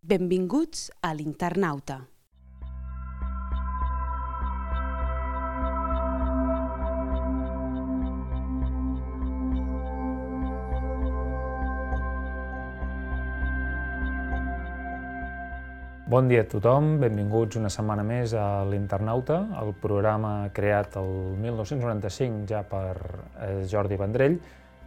Benvinguts a l'Internauta. Bon dia a tothom, benvinguts una setmana més a l'Internauta, el programa creat el 1995 ja per Jordi Vendrell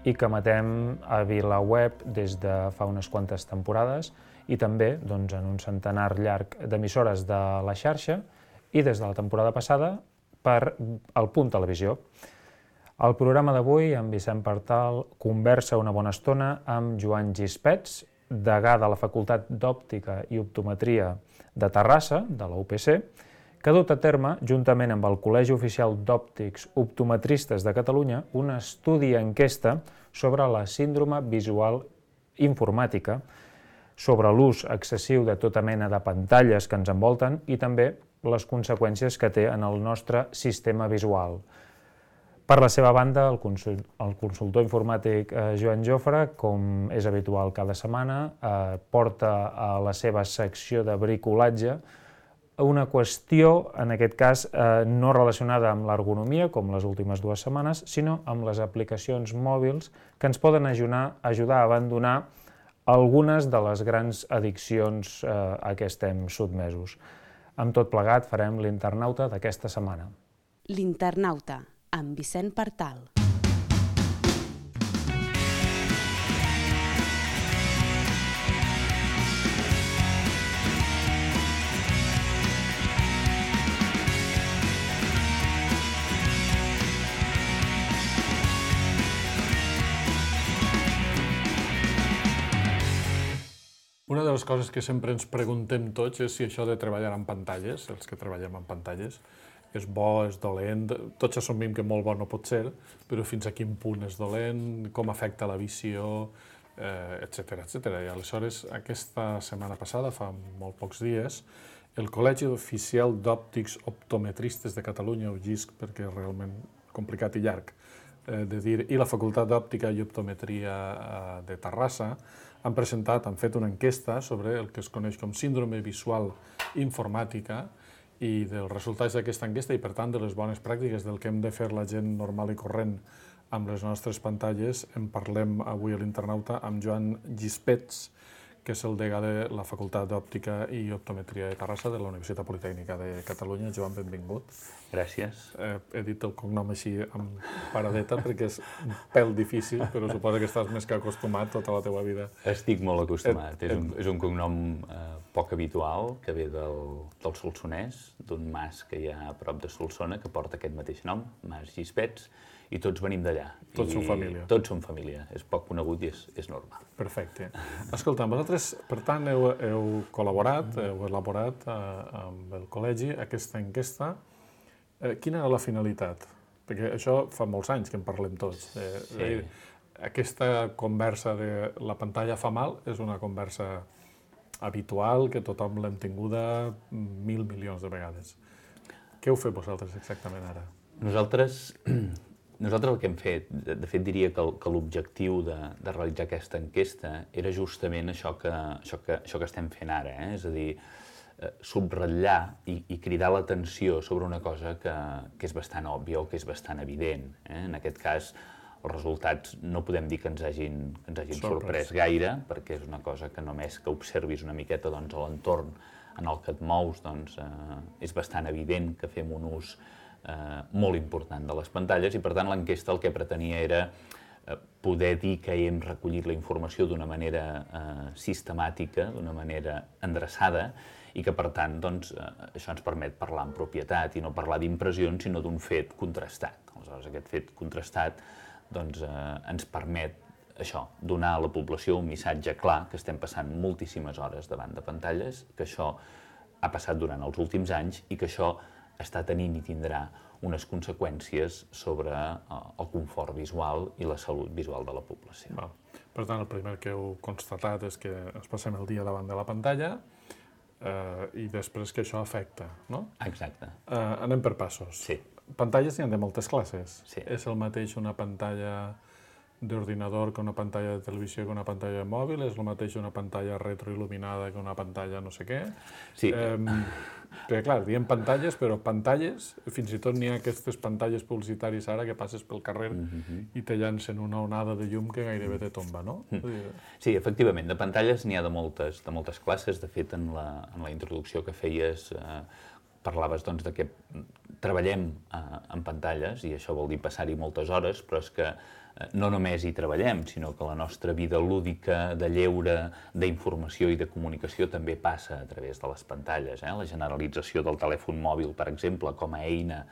i que emetem a VilaWeb des de fa unes quantes temporades i també en un centenar llarg d'emissores de la xarxa i des de la temporada passada per El Punt Televisió. Al programa d'avui, en Vicent Partal conversa una bona estona amb Joan Gispets, degà de la Facultat d'Òptica i Optometria de Terrassa, de la UPC, que ha dut a terme, juntament amb el Col·legi Oficial d'Òptics Optometristes de Catalunya, un estudi enquesta sobre la síndrome visual informàtica, sobre l'ús excessiu de tota mena de pantalles que ens envolten i també les conseqüències que té en el nostre sistema visual. Per la seva banda, el consultor informàtic Joan Jofre, com és habitual cada setmana, porta a la seva secció de bricolatge una qüestió, en aquest cas, no relacionada amb l'ergonomia, com les últimes dues setmanes, sinó amb les aplicacions mòbils que ens poden ajudar a abandonar algunes de les grans addiccions a què estem sotmesos. Amb tot plegat, farem l'Internauta d'aquesta setmana. L'Internauta, amb Vicent Partal. Una de les coses que sempre ens preguntem tots és si això de treballar amb pantalles, els que treballem amb pantalles, és bo, és dolent, tots assumim que molt bo no pot ser, però fins a quin punt és dolent, com afecta la visió, etc. I aleshores, aquesta setmana passada, fa molt pocs dies, el Col·legi Oficial d'Òptics Optometristes de Catalunya, o GISC, perquè és realment complicat i llarg de dir, i la Facultat d'Òptica i Optometria de Terrassa, han fet una enquesta sobre el que es coneix com síndrome visual informàtica i dels resultats d'aquesta enquesta i, per tant, de les bones pràctiques del que hem de fer la gent normal i corrent amb les nostres pantalles. En parlem avui a l'Internauta amb Joan Gispets, que és el degà de la Facultat d'Òptica i Optometria de Terrassa de la Universitat Politècnica de Catalunya. Joan, benvingut. Gràcies. He dit el cognom així amb paradeta perquè és un pèl difícil, però suposo que estàs més que acostumat tota la teva vida. Estic molt acostumat. És un cognom poc habitual, que ve del Solsonès, d'un mas que hi ha a prop de Solsona, que porta aquest mateix nom, Mas Gispets, i tots venim d'allà. Tots som família. Tots som família. És poc conegut i és normal. Perfecte. Escolta, vosaltres, per tant, heu col·laborat, heu elaborat amb el col·legi aquesta enquesta. Quina era la finalitat? Perquè això fa molts anys que en parlem tots. Sí. Aquesta conversa de la pantalla fa mal és una conversa habitual, que tothom l'hem tinguda 1.000 milions de vegades. Què heu fet vosaltres exactament ara? Nosaltres el que hem fet, de fet diria que l'objectiu de realitzar aquesta enquesta era justament això que estem fent ara, és a dir, subratllar i cridar l'atenció sobre una cosa que és bastant òbvia o que és bastant evident. En aquest cas, els resultats no podem dir que ens hagin sorprès gaire, perquè és una cosa que només que observis una miqueta a l'entorn en el que et mous, és bastant evident que fem un ús molt important de les pantalles i, per tant, l'enquesta el que pretenia era poder dir que hem recollit la informació d'una manera sistemàtica, d'una manera endreçada i que, per tant, això ens permet parlar amb propietat i no parlar d'impressions, sinó d'un fet contrastat. Aleshores, aquest fet contrastat ens permet això, donar a la població un missatge clar que estem passant moltíssimes hores davant de pantalles, que això ha passat durant els últims anys i que això està tenint i tindrà unes conseqüències sobre el confort visual i la salut visual de la població. Per tant, el primer que heu constatat és que ens passem el dia davant de la pantalla i després que això afecta, no? Exacte. Anem per passos. Sí. Pantalles n'hi ha de moltes classes. Sí. És el mateix una pantalla d'ordinador que una pantalla de televisió que una pantalla de mòbil, és el mateix una pantalla retroil·luminada que una pantalla no sé què. Sí. Perquè, clar, diem pantalles, però pantalles, fins i tot n'hi ha aquestes pantalles publicitàries ara que passes pel carrer i te llancen una onada de llum que gairebé te tomba, no? Sí, efectivament, de pantalles n'hi ha de moltes classes. De fet, en la introducció que feies, parlaves doncs, de que treballem en pantalles, i això vol dir passar-hi moltes hores, però és que no només hi treballem, sinó que la nostra vida lúdica, de lleure, d'informació i de comunicació també passa a través de les pantalles. La generalització del telèfon mòbil, per exemple, com a eina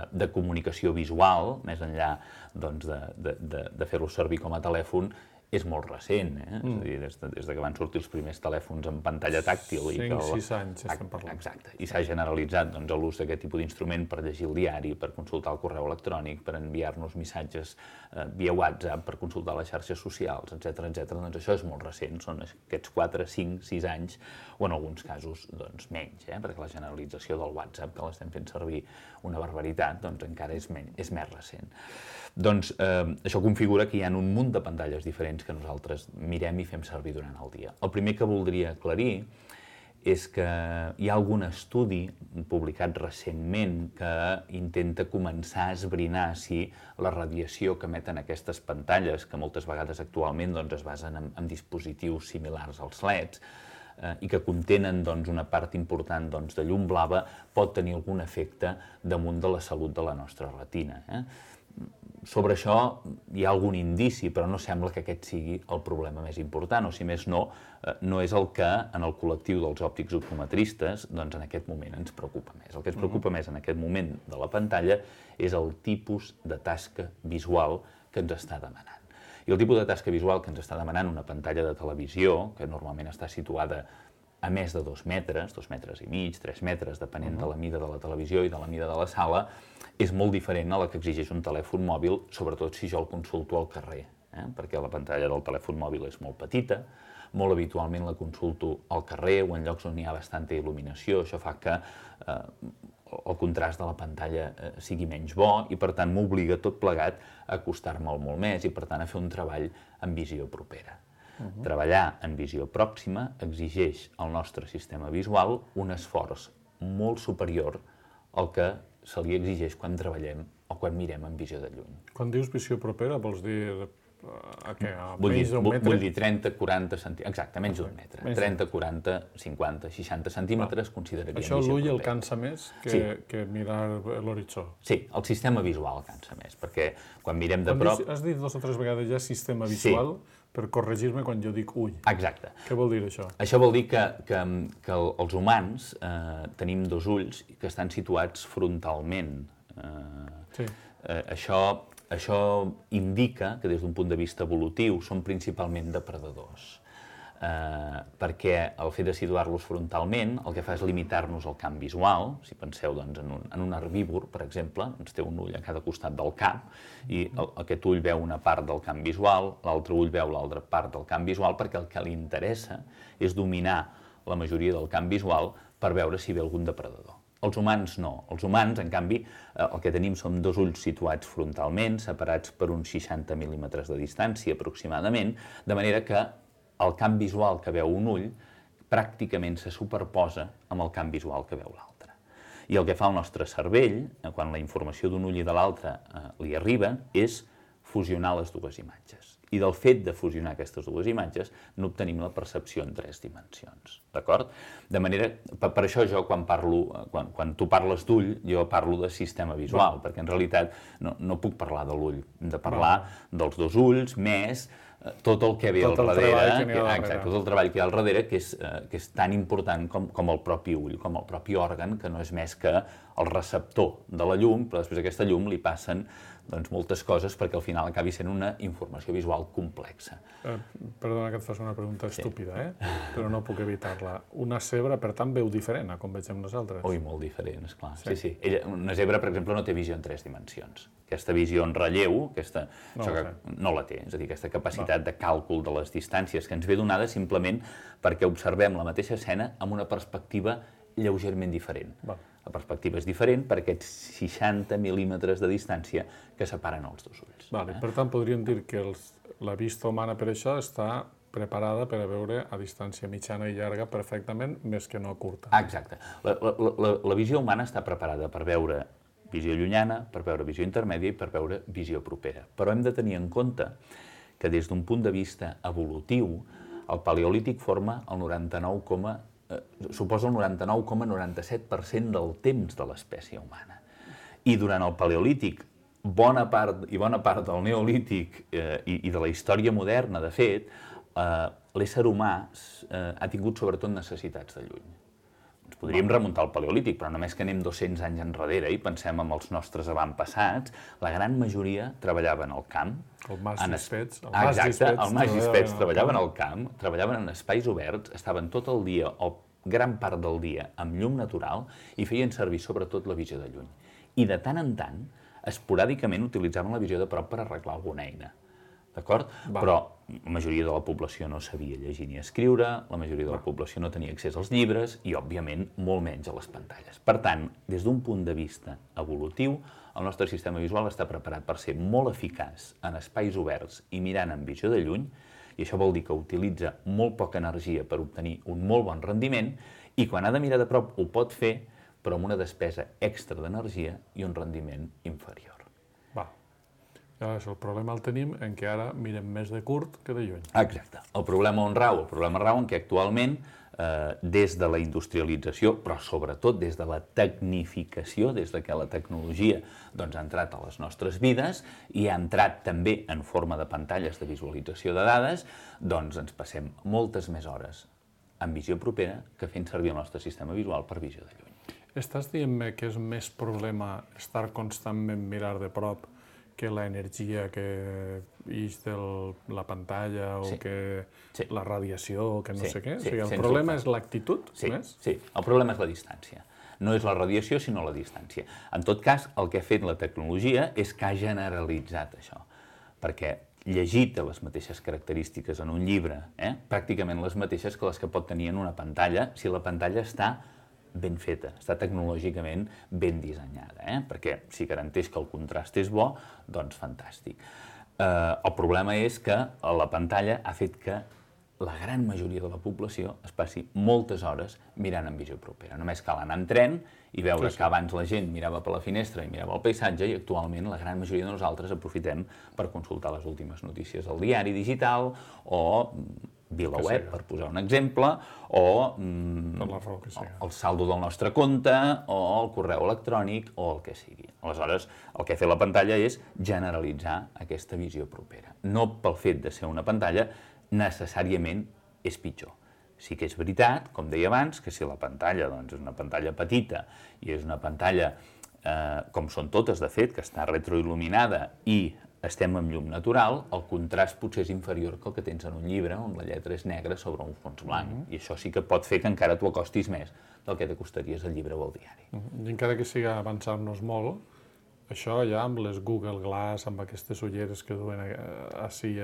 de comunicació visual, més enllà doncs, de fer-lo servir com a telèfon, és molt recent, és a dir, des que van sortir els primers telèfons amb pantalla tàctil. 5-6 anys estem parlant. Exacte, i s'ha generalitzat l'ús d'aquest tipus d'instrument per llegir el diari, per consultar el correu electrònic, per enviar-nos missatges via WhatsApp, per consultar les xarxes socials, etc. Doncs això és molt recent, són aquests 4, 5, 6 anys, o en alguns casos doncs, menys, perquè la generalització del WhatsApp, que l'estem fent servir una barbaritat, doncs encara és més recent. Doncs això configura que hi ha un munt de pantalles diferents que nosaltres mirem i fem servir durant el dia. El primer que voldria aclarir és que hi ha algun estudi publicat recentment que intenta començar a esbrinar si la radiació que emeten aquestes pantalles, que moltes vegades actualment es basen en dispositius similars als LEDs, i que contenen una part important de llum blava, pot tenir algun efecte damunt de la salut de la nostra retina. Sobre això hi ha algun indici, però no sembla que aquest sigui el problema més important, o si més no, no és el que en el col·lectiu dels òptics optometristes en aquest moment ens preocupa més. El que ens preocupa més en aquest moment de la pantalla és el tipus de tasca visual que ens està demanant. I el tipus de tasca visual que ens està demanant una pantalla de televisió, que normalment està situada a més de 2 metres, 2 metres i mig, 3 metres, depenent de la mida de la televisió i de la mida de la sala, és molt diferent a la que exigeix un telèfon mòbil, sobretot si jo el consulto al carrer, perquè la pantalla del telèfon mòbil és molt petita, molt habitualment la consulto al carrer o en llocs on hi ha bastanta il·luminació, això fa que el contrast de la pantalla sigui menys bo i, per tant, m'obliga tot plegat a acostar-me'l molt més i, per tant, a fer un treball en visió propera. Treballar en visió pròxima exigeix al nostre sistema visual un esforç molt superior al que se li exigeix quan treballem o quan mirem en visió de lluny. Quan dius visió propera, vols dir a què? Menys d'un metre? Vull dir 30, 40 centímetres, exacte, menys d'un metre. 30, 40, 50, 60 centímetres consideraríem visió propera. Això l'ull el cansa més que mirar l'horitzó? Sí, el sistema visual cansa més, perquè quan mirem de prop... Has dit 2 o 3 vegades ja sistema visual per corregir-me quan jo dic ull. Exacte. Què vol dir això? Això vol dir que els humans tenim 2 ulls que estan situats frontalment. Això indica que des d'un punt de vista evolutiu són principalment depredadors, perquè el fet de situar-los frontalment el que fa és limitar-nos el camp visual. Si penseu en un herbívor, per exemple, té un ull a cada costat del cap i aquest ull veu una part del camp visual, l'altre ull veu l'altra part del camp visual, perquè el que li interessa és dominar la majoria del camp visual per veure si ve algun depredador. Els humans no. Els humans, en canvi, el que tenim són 2 ulls situats frontalment, separats per uns 60 mil·límetres de distància aproximadament, de manera que el camp visual que veu un ull pràcticament se superposa amb el camp visual que veu l'altre. I el que fa el nostre cervell, quan la informació d'un ull i de l'altre li arriba, és fusionar les 2 imatges. I del fet de fusionar aquestes 2 imatges n'obtenim la percepció en 3 dimensions, d'acord? De manera, per això jo quan tu parles d'ull, jo parlo de sistema visual, perquè en realitat no puc parlar de l'ull, hem de parlar dels 2 ulls més tot el que ve al darrere, tot el treball que hi ha al darrere, que és tan important com el propi ull, com el propi òrgan, que no és més que el receptor de la llum, però després aquesta llum li passen moltes coses perquè al final acabi sent una informació visual complexa. Perdona que et faci una pregunta estúpida, però no puc evitar-la. Una zebra, per tant, veu diferent a com vegem nosaltres? Ui, molt diferent, esclar. Sí. Una zebra, per exemple, no té visió en 3 dimensions. Aquesta visió en relleu, no la té, és a dir, aquesta capacitat de càlcul de les distàncies que ens ve donada simplement perquè observem la mateixa escena amb una perspectiva lleugerament diferent. Val. La perspectiva és diferent per aquests 60 mil·límetres de distància que separen els dos ulls. Vale. Per tant, podríem dir que la vista humana per això està preparada per a veure a distància mitjana i llarga perfectament, més que no curta. Exacte. La visió humana està preparada per veure visió llunyana, per veure visió intermèdia i per veure visió propera. Però hem de tenir en compte que des d'un punt de vista evolutiu, el paleolític suposa el 99,97% del temps de l'espècie humana. I durant el paleolític, bona part del neolític i de la història moderna, de fet, l'ésser humà ha tingut sobretot necessitats de lluny. Ens podríem remuntar al paleolític, però només que anem 200 anys enrere i pensem en els nostres avantpassats, la gran majoria treballaven al camp. El Mas Gispets. Exacte, el Mas Gispets treballaven al camp, treballaven en espais oberts, estaven tot el dia o gran part del dia amb llum natural i feien servir sobretot la visió de lluny. I de tant en tant, esporàdicament utilitzaven la visió de prop per arreglar alguna eina. D'acord? Però la majoria de la població no sabia llegir ni escriure, la majoria de la població no tenia accés als llibres i, òbviament, molt menys a les pantalles. Per tant, des d'un punt de vista evolutiu, el nostre sistema visual està preparat per ser molt eficaç en espais oberts i mirant amb visió de lluny, i això vol dir que utilitza molt poca energia per obtenir un molt bon rendiment, i quan ha de mirar de prop ho pot fer, però amb una despesa extra d'energia i un rendiment inferior. El problema el tenim en què ara mirem més de curt que de lluny. Exacte. El problema on rau? El problema rau en què actualment, des de la industrialització, però sobretot des de la tecnificació, des de que la tecnologia ha entrat a les nostres vides i ha entrat també en forma de pantalles de visualització de dades, doncs ens passem moltes més hores en visió propera que fent servir el nostre sistema visual per visió de lluny. Estàs dient-me que és més problema estar constantment mirar de prop que l'energia que ix de la pantalla o que la radiació o que no sé què? O sigui, el problema és l'actitud més? Sí, el problema és la distància. No és la radiació, sinó la distància. En tot cas, el que ha fet la tecnologia és que ha generalitzat això, perquè llegir té les mateixes característiques en un llibre, pràcticament les mateixes que les que pot tenir en una pantalla, si la pantalla està ben feta, està tecnològicament ben dissenyada, perquè si garanteix que el contrast és bo, doncs fantàstic. El problema és que la pantalla ha fet que la gran majoria de la població es passi moltes hores mirant en visió propera. Només cal anar en tren i veure que abans la gent mirava per la finestra i mirava el paisatge i actualment la gran majoria de nosaltres aprofitem per consultar les últimes notícies al diari digital o VilaWeb, per posar un exemple, o el saldo del nostre compte, o el correu electrònic, o el que sigui. Aleshores, el que ha fet la pantalla és generalitzar aquesta visió propera. No pel fet de ser una pantalla, necessàriament és pitjor. Sí que és veritat, com deia abans, que si la pantalla és una pantalla petita i és una pantalla, com són totes de fet, que està retroil·luminada i estem amb llum natural, el contrast potser és inferior que el que tens en un llibre on la lletra és negra sobre un fons blanc. I això sí que pot fer que encara t'ho acostis més del que t'acostaries al llibre o al diari. I encara que sigui avançar-nos molt, això ja amb les Google Glass, amb aquestes ulleres que duen així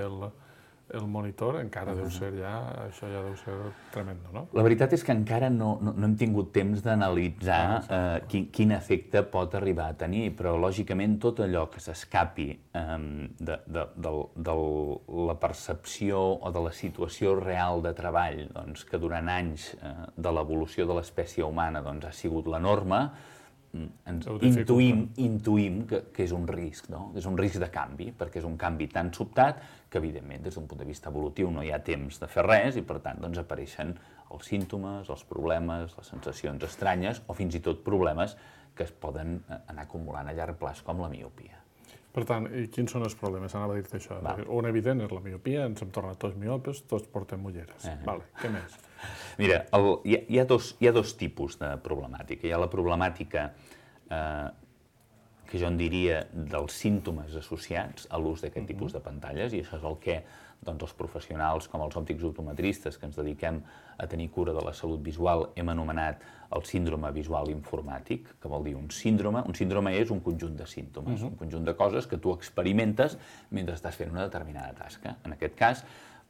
el monitor, encara deu ser això ja deu ser tremendo, no? La veritat és que encara no hem tingut temps d'analitzar quin efecte pot arribar a tenir, però lògicament tot allò que s'escapi de la percepció o de la situació real de treball que durant anys de l'evolució de l'espècie humana ha sigut la norma, intuïm que és un risc, no? És un risc de canvi, perquè és un canvi tan sobtat que, evidentment, des d'un punt de vista evolutiu no hi ha temps de fer res i, per tant, apareixen els símptomes, els problemes, les sensacions estranyes o fins i tot problemes que es poden anar acumulant a llarg termini, com la miopia. Per tant, i quins són els problemes? Anava a dir-te això. Un evident és la miopia, ens hem tornat tots miopes, tots portem ulleres. Què més? Mira, hi ha dos tipus de problemàtica. Hi ha la problemàtica que jo en diria dels símptomes associats a l'ús d'aquest tipus de pantalles, i això és el que els professionals com els òptics optometristes que ens dediquem a tenir cura de la salut visual hem anomenat el síndrome visual informàtic, que vol dir un síndrome. Un síndrome és un conjunt de símptomes, un conjunt de coses que tu experimentes mentre estàs fent una determinada tasca. En aquest cas,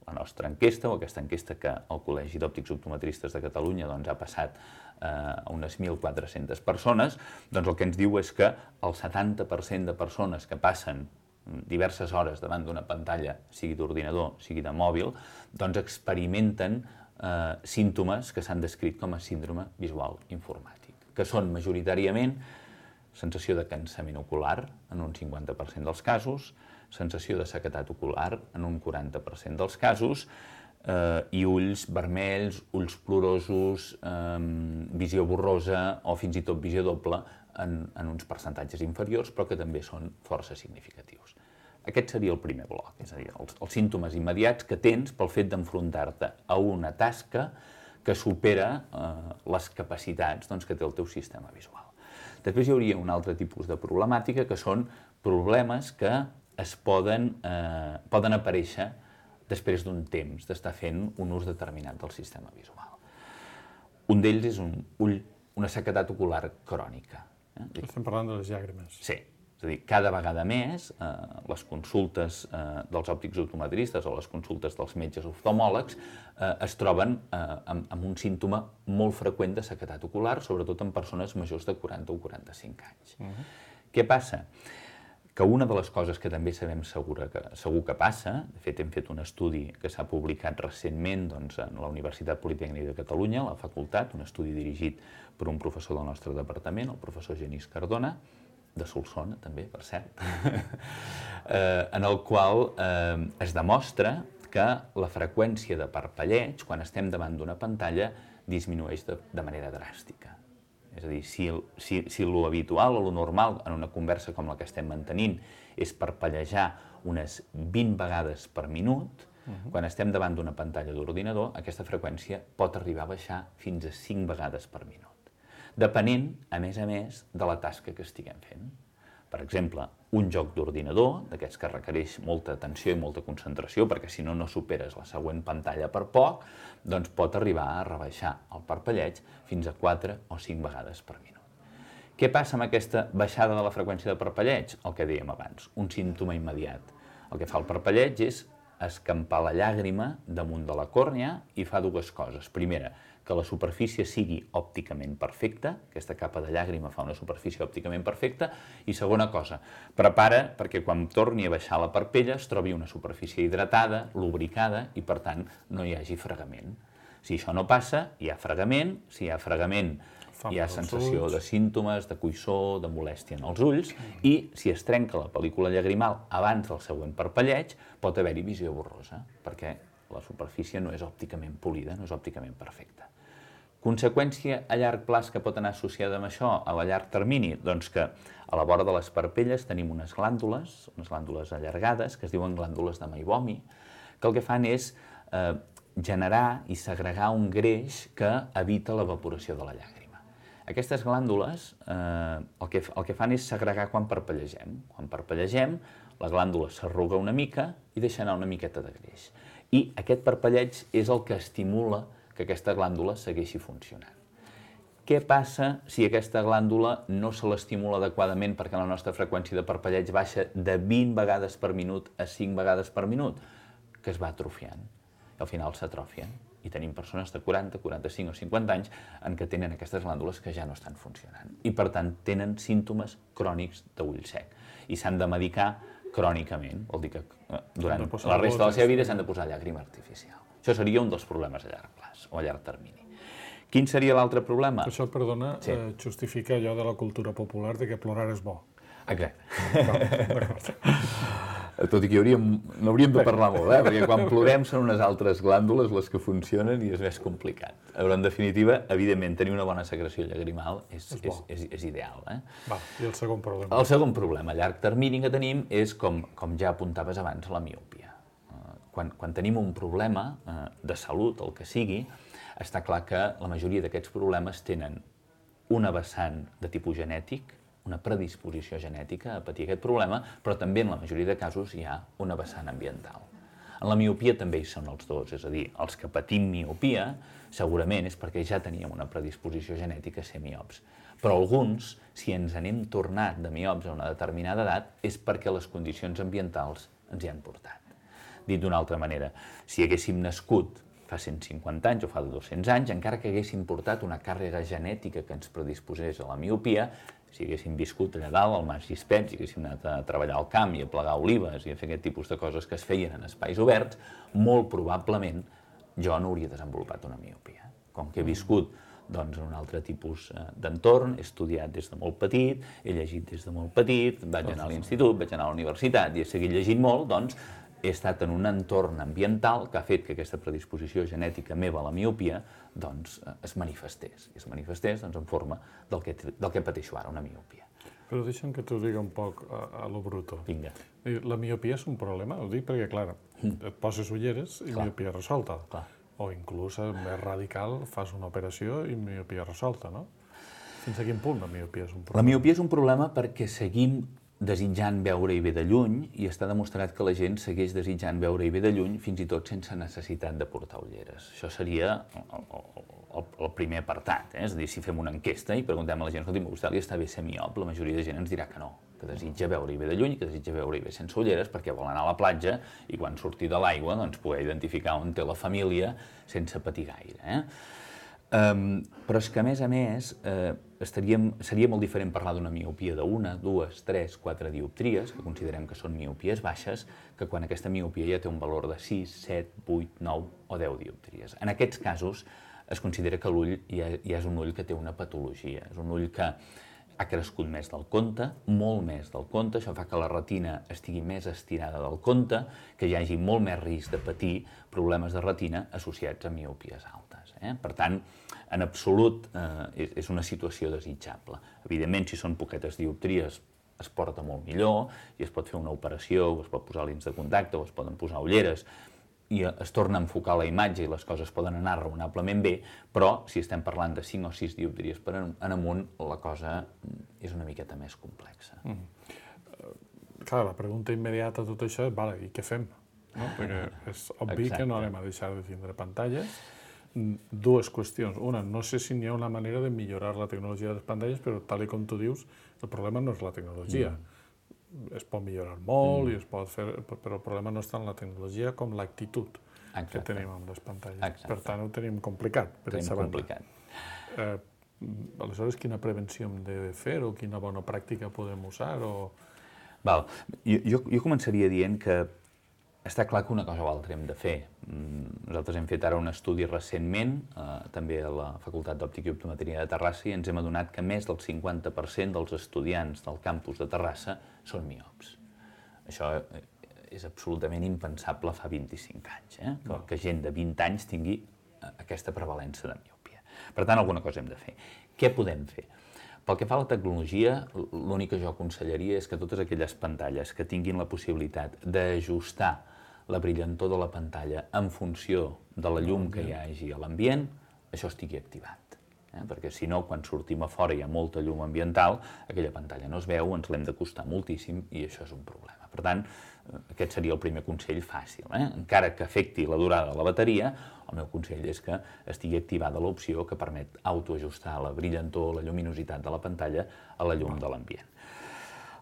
la nostra enquesta, o aquesta enquesta que el Col·legi d'Òptics Optometristes de Catalunya ha passat a unes 1.400 persones, doncs el que ens diu és que el 70% de persones que passen diverses hores davant d'una pantalla, sigui d'ordinador, sigui de mòbil, doncs experimenten símptomes que s'han descrit com a síndrome visual informàtic, que són majoritàriament sensació de cansament ocular en un 50% dels casos, sensació de sequedat ocular en un 40% dels casos, i ulls vermells, ulls plorosos, visió borrosa o fins i tot visió doble en uns percentatges inferiors, però que també són força significatius. Aquest seria el primer bloc, és a dir, els símptomes immediats que tens pel fet d'enfrontar-te a una tasca que supera les capacitats que té el teu sistema visual. Després hi hauria un altre tipus de problemàtica, que són problemes que es poden aparèixer després d'un temps d'estar fent un ús determinat del sistema visual. Un d'ells és una sequedat ocular crònica. Estem parlant de les llàgrimes. Sí, és a dir, cada vegada més les consultes dels òptics optometristes o les consultes dels metges oftalmòlegs es troben amb un símptoma molt freqüent de sequedat ocular, sobretot en persones majors de 40 o 45 anys. Què passa? Que una de les coses que també sabem segur que passa, de fet hem fet un estudi que s'ha publicat recentment en la Universitat Politècnica de Catalunya, a la facultat, un estudi dirigit per un professor del nostre departament, el professor Genís Cardona, de Solsona també, per cert, en el qual es demostra que la freqüència de parpelleig, quan estem davant d'una pantalla, disminueix de manera dràstica. És a dir, si lo habitual o lo normal en una conversa com la que estem mantenint és parpellejar unes 20 vegades per minut, quan estem davant d'una pantalla d'ordinador, aquesta freqüència pot arribar a baixar fins a 5 vegades per minut, depenent, a més, de la tasca que estiguem fent. Per exemple, un joc d'ordinador, d'aquests que requereix molta atenció i molta concentració, perquè si no, no superes la següent pantalla per poc, doncs pot arribar a rebaixar el parpelleig fins a 4 o 5 vegades per minut. Què passa amb aquesta baixada de la freqüència de parpelleig? El que dèiem abans, un símptoma immediat. El que fa el parpelleig és escampar la llàgrima damunt de la còrnea i fa dues coses. Primera, que la superfície sigui òpticament perfecta, aquesta capa de llàgrima fa una superfície òpticament perfecta, i segona cosa, prepara perquè quan torni a baixar la parpella es trobi una superfície hidratada, lubricada, i per tant no hi hagi fregament. Si això no passa, hi ha fregament, si hi ha fregament hi ha sensació de símptomes, de coïssor, de molèstia en els ulls, i si es trenca la pel·lícula llagrimal abans del següent parpelleig, pot haver-hi visió borrosa, perquè la superfície no és òpticament polida, no és òpticament perfecta. Conseqüència a llarg plaç que pot anar associada amb això a la llarg termini? Doncs que a la vora de les parpelles tenim unes glàndules allargades, que es diuen glàndules de Meibomi, que el que fan és generar i segregar un greix que evita l'evaporació de la llàgrima. Aquestes glàndules el que fan és segregar quan parpellegem. Quan parpellegem, la glàndula s'arruga una mica i deixa anar una miqueta de greix. I aquest parpelleig és el que estimula que aquesta glàndula segueixi funcionant. Què passa si aquesta glàndula no se l'estimula adequadament perquè la nostra freqüència de parpelleig baixa de 20 vegades per minut a 5 vegades per minut? Que es va atrofiant. I al final s'atrofien. I tenim persones de 40, 45 o 50 anys en què tenen aquestes glàndules que ja no estan funcionant. I per tant tenen símptomes crònics d'ull sec. I s'han de medicar crònicament. Vol dir que durant la resta de la seva vida s'han de posar llàgrima artificial. Això seria un dels problemes a llarg plaç o a llarg termini. Quin seria l'altre problema? Això, perdona, justifica allò de la cultura popular de que plorar és bo. Exacte. D'acord. Tot i que n'hauríem de parlar molt, perquè quan plorem són unes altres glàndules les que funcionen i és més complicat. Però, en definitiva, evidentment, tenir una bona secreció llagrimal és ideal. Va, i el segon problema? El segon problema a llarg termini que tenim és, com ja apuntaves abans, la miopia. Quan tenim un problema de salut, el que sigui, està clar que la majoria d'aquests problemes tenen una vessant de tipus genètic, una predisposició genètica a patir aquest problema, però també en la majoria de casos hi ha una vessant ambiental. En la miopia també hi són els dos, és a dir, els que patim miopia segurament és perquè ja teníem una predisposició genètica a ser miops. Però alguns, si ens n'hem tornat de miops a una determinada edat, és perquè les condicions ambientals ens hi han portat. Dit d'una altra manera, si haguéssim nascut fa 150 anys o fa 200 anys, encara que haguéssim portat una càrrega genètica que ens predisposés a la miopia, si haguéssim viscut allà dalt, al Mas Gispert, si haguéssim anat a treballar al camp i a plegar olives i a fer aquest tipus de coses que es feien en espais oberts, molt probablement jo no hauria desenvolupat una miopia. Com que he viscut en un altre tipus d'entorn, he estudiat des de molt petit, he llegit des de molt petit, vaig anar a l'institut, vaig anar a la universitat i he seguit llegint molt, doncs he estat en un entorn ambiental que ha fet que aquesta predisposició genètica meva a la miopia es manifestés. I es manifestés en forma del que pateixo ara, una miopia. Però deixa'm que t'ho digui un poc a lo bruto. Vinga. La miopia és un problema? Ho dic perquè, clar, et poses ulleres i miopia resolta. O inclús, més radical, fas una operació i miopia resolta, no? Fins a quin punt la miopia és un problema? La miopia és un problema perquè seguim desitjant veure-hi bé de lluny i està demostrat que la gent segueix desitjant veure-hi bé de lluny fins i tot sense necessitat de portar ulleres. Això seria el primer apartat, és a dir, si fem una enquesta i preguntem a la gent, escolti, a vostè li està bé ser miop? La majoria de gent ens dirà que no, que desitja veure-hi bé de lluny, que desitja veure-hi bé sense ulleres perquè vol anar a la platja i quan surti de l'aigua poder identificar on té la família sense patir gaire. Però és que, a més, seria molt diferent parlar d'una miopia de 1, 2, 3, 4 dioptries, que considerem que són miopies baixes, que quan aquesta miopia ja té un valor de 6, 7, 8, 9 o 10 dioptries. En aquests casos es considera que l'ull ja és un ull que té una patologia, és un ull que ha crescut més del compte, molt més del compte, això fa que la retina estigui més estirada del compte, que hi hagi molt més risc de patir problemes de retina associats a miopies altes. Per tant, en absolut és una situació desitjable. Evidentment, si són poquetes dioptries, es porta molt millor i es pot fer una operació, o es pot posar lents de contacte, o es poden posar ulleres, i es torna a enfocar la imatge i les coses poden anar raonablement bé, però si estem parlant de 5 o 6 dioptries per en amunt, la cosa és una miqueta més complexa. Clar, la pregunta immediata a tot això és, vale, i què fem? Perquè és obvi que no anem a deixar de tindre pantalles. Dues qüestions. Una, no sé si hi ha una manera de millorar la tecnologia de les pantalles, però tal com tu dius, el problema no és la tecnologia. Es pot millorar molt i es pot fer, però el problema no és tant la tecnologia com l'actitud que tenim amb les pantalles. Per tant, ho tenim complicat, per aquesta banda. Aleshores, quina prevenció hem de fer o quina bona pràctica podem usar? Jo començaria dient que està clar que una cosa o altra hem de fer. Nosaltres hem fet ara un estudi recentment, també a la Facultat d'Òptica i Optometria de Terrassa, i ens hem adonat que més del 50% dels estudiants del campus de Terrassa són miops. Això és absolutament impensable fa 25 anys, que gent de 20 anys tingui aquesta prevalença de miopia. Per tant, alguna cosa hem de fer. Què podem fer? Pel que fa a la tecnologia, l'únic que jo aconsellaria és que totes aquelles pantalles que tinguin la possibilitat d'ajustar la brillantor de la pantalla en funció de la llum que hi hagi a l'ambient, això estigui activat. Perquè si no, quan sortim a fora hi ha molta llum ambiental, aquella pantalla no es veu, ens l'hem d'acostar moltíssim i això és un problema. Per tant, aquest seria el primer consell fàcil. Encara que afecti la durada de la bateria, el meu consell és que estigui activada l'opció que permet autoajustar la brillantor, la lluminositat de la pantalla a la llum de l'ambient.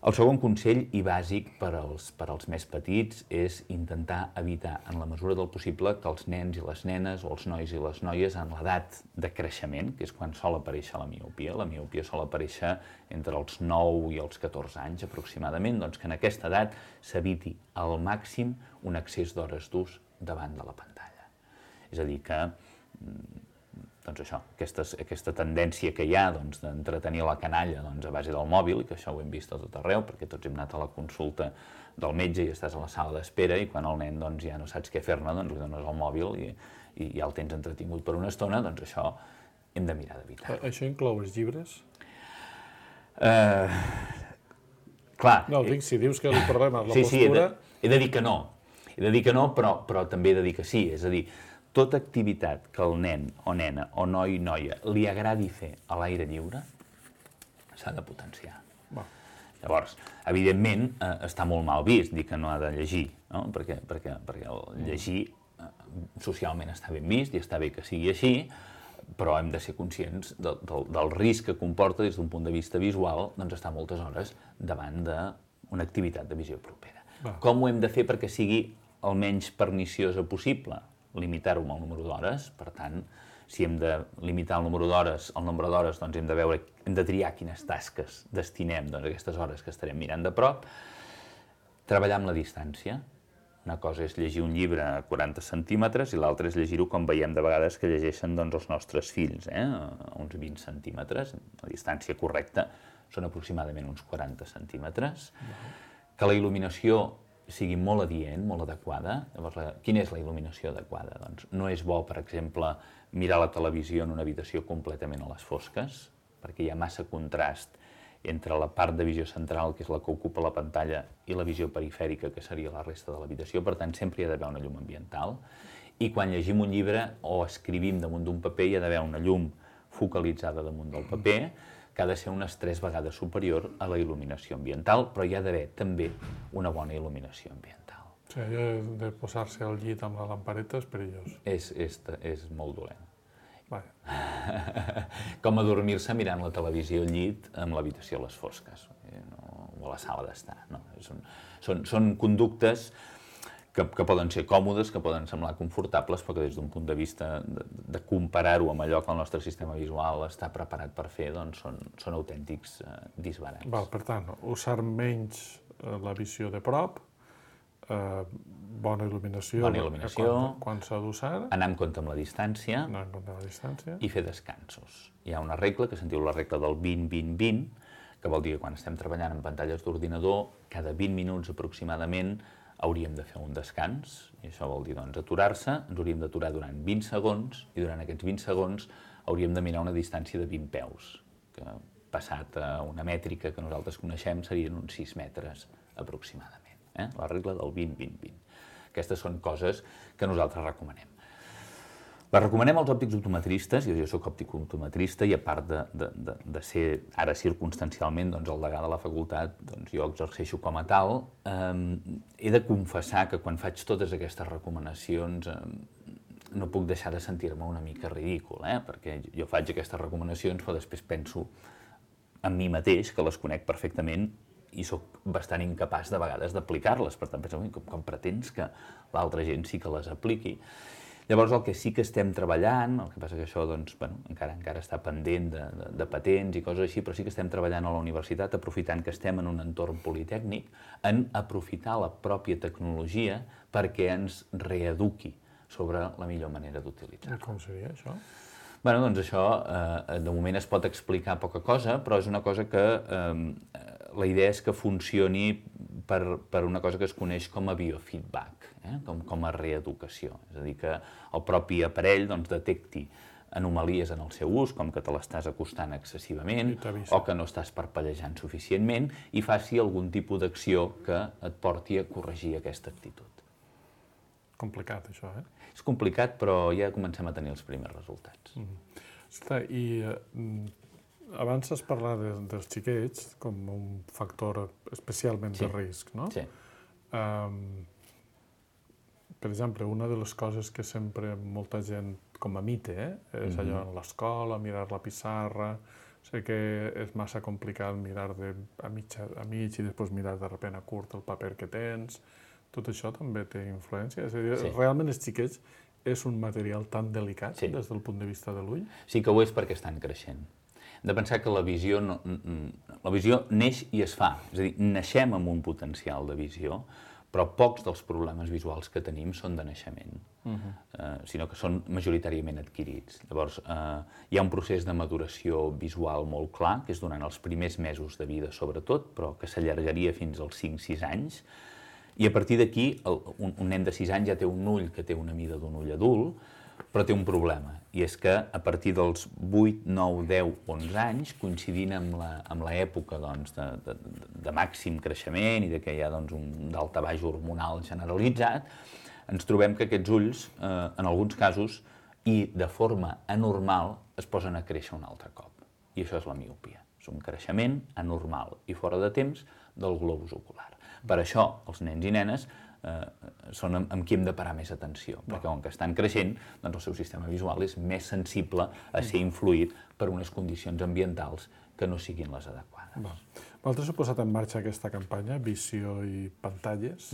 El segon consell, i bàsic per als més petits, és intentar evitar, en la mesura del possible, que els nens i les nenes o els nois i les noies en l'edat de creixement, que és quan sol aparèixer la miopia sol aparèixer entre els 9 i els 14 anys aproximadament, doncs que en aquesta edat s'eviti al màxim un excés d'hores d'ús davant de la pantalla. És a dir, que doncs això, aquesta tendència que hi ha d'entretenir la canalla a base del mòbil, i que això ho hem vist a tot arreu, perquè tots hem anat a la consulta del metge i estàs a la sala d'espera i quan el nen ja no saps què fer-ne, li dones el mòbil i ja el tens entretingut per una estona, doncs això hem de mirar d'evitar. Això inclou els llibres? Clar. No, dic, si dius que el problema és la postura... Sí, he de dir que no, però també he de dir que sí, és a dir, tota activitat que el nen o nena o noi o noia li agradi fer a l'aire lliure s'ha de potenciar. Llavors, evidentment, està molt mal vist dir que no ha de llegir, perquè el llegir socialment està ben vist i està bé que sigui així, però hem de ser conscients del risc que comporta des d'un punt de vista visual estar moltes hores davant d'una activitat de visió propera. Com ho hem de fer perquè sigui el menys perniciosa possible, limitar-ho amb el número d'hores. Per tant, si hem de limitar el nombre d'hores, doncs hem de triar quines tasques destinem a aquestes hores que estarem mirant de prop. Treballar amb la distància. Una cosa és llegir un llibre a 40 centímetres i l'altra és llegir-ho com veiem de vegades que llegeixen els nostres fills, a uns 20 centímetres. La distància correcta són aproximadament uns 40 centímetres. Que la il·luminació sigui molt adient, molt adequada. Llavors, quina és la il·luminació adequada? Doncs no és bo, per exemple, mirar la televisió en una habitació completament a les fosques, perquè hi ha massa contrast entre la part de visió central, que és la que ocupa la pantalla, i la visió perifèrica, que seria la resta de l'habitació. Per tant, sempre hi ha d'haver una llum ambiental. I quan llegim un llibre o escrivim damunt d'un paper, hi ha d'haver una llum focalitzada damunt del paper, que ha de ser unes 3 vegades superior a la il·luminació ambiental, però hi ha d'haver també una bona il·luminació ambiental. O sigui, allò de posar-se al llit amb la lampareta és perillós. És molt dolent. Vaja. Com adormir-se mirant la televisió al llit amb l'habitació a les fosques, o a la sala d'estar. Són conductes que poden ser còmodes, que poden semblar confortables, però que des d'un punt de vista de comparar-ho amb allò que el nostre sistema visual està preparat per fer, doncs són autèntics disbarats. Per tant, usar menys la visió de prop, bona il·luminació, quan s'ha d'usar, anar amb compte amb la distància i fer descansos. Hi ha una regla que se'n diu la regla del 20-20-20, que vol dir que quan estem treballant en pantalles d'ordinador, cada 20 minuts aproximadament hauríem de fer un descans, i això vol dir aturar-se, ens hauríem d'aturar durant 20 segons, i durant aquests 20 segons hauríem de mirar una distància de 20 peus, que passat a una mètrica que nosaltres coneixem serien uns 6 metres aproximadament. La regla del 20-20-20. Aquestes són coses que nosaltres recomanem. Les recomanem als òptics optometristes, jo soc òptic optometrista i a part de ser ara circumstancialment el degà de la facultat, jo exerceixo com a tal, he de confessar que quan faig totes aquestes recomanacions no puc deixar de sentir-me una mica ridícul, perquè jo faig aquestes recomanacions però després penso en mi mateix, que les conec perfectament, i sóc bastant incapaç de vegades d'aplicar-les. Per tant, penso, com pretens que l'altra gent sí que les apliqui? Llavors, el que sí que estem treballant, el que passa que això encara està pendent de patents i coses així, però sí que estem treballant a la universitat, aprofitant que estem en un entorn politècnic, en aprofitar la pròpia tecnologia perquè ens reeduqui sobre la millor manera d'utilitzar-la. Com seria això? Doncs això, de moment es pot explicar poca cosa, però és una cosa que la idea és que funcioni per una cosa que es coneix com a biofeedback, com a reeducació. És a dir, que el propi aparell detecti anomalies en el seu ús, com que te l'estàs acostant excessivament o que no estàs parpellejant suficientment i faci algun tipus d'acció que et porti a corregir aquesta actitud. Complicat, això, És complicat, però ja comencem a tenir els primers resultats. I abans has parlat dels xiquets com un factor especialment de risc, no? Sí. Per exemple, una de les coses que sempre molta gent com a mite és allò en l'escola, mirar la pissarra. Sé que és massa complicat mirar a mig i després mirar de sobte a curt el paper que tens. Tot això també té influència? És a dir, realment els xiquets és un material tan delicat des del punt de vista de l'ull? Sí que ho és perquè estan creixent. Hem de pensar que la visió neix i es fa. És a dir, naixem amb un potencial de visió, però pocs dels problemes visuals que tenim són de naixement, sinó que són majoritàriament adquirits. Llavors, hi ha un procés de maduració visual molt clar, que és durant els primers mesos de vida, sobretot, però que s'allargaria fins als 5-6 anys, i a partir d'aquí, un nen de 6 anys ja té un ull que té una mida d'un ull adult, però té un problema, i és que a partir dels 8, 9, 10, 11 anys, coincidint amb l'època de màxim creixement i que hi ha un daltabaix hormonal generalitzat, ens trobem que aquests ulls, en alguns casos, i de forma anormal, es posen a créixer un altre cop. I això és la miopia. És un creixement anormal i fora de temps del globus ocular. Per això, els nens i nenes són amb qui hem de parar més atenció, perquè com que estan creixent, doncs el seu sistema visual és més sensible a ser influït per unes condicions ambientals que no siguin les adequades. Vosaltres heu posat en marxa aquesta campanya, Visió i Pantalles.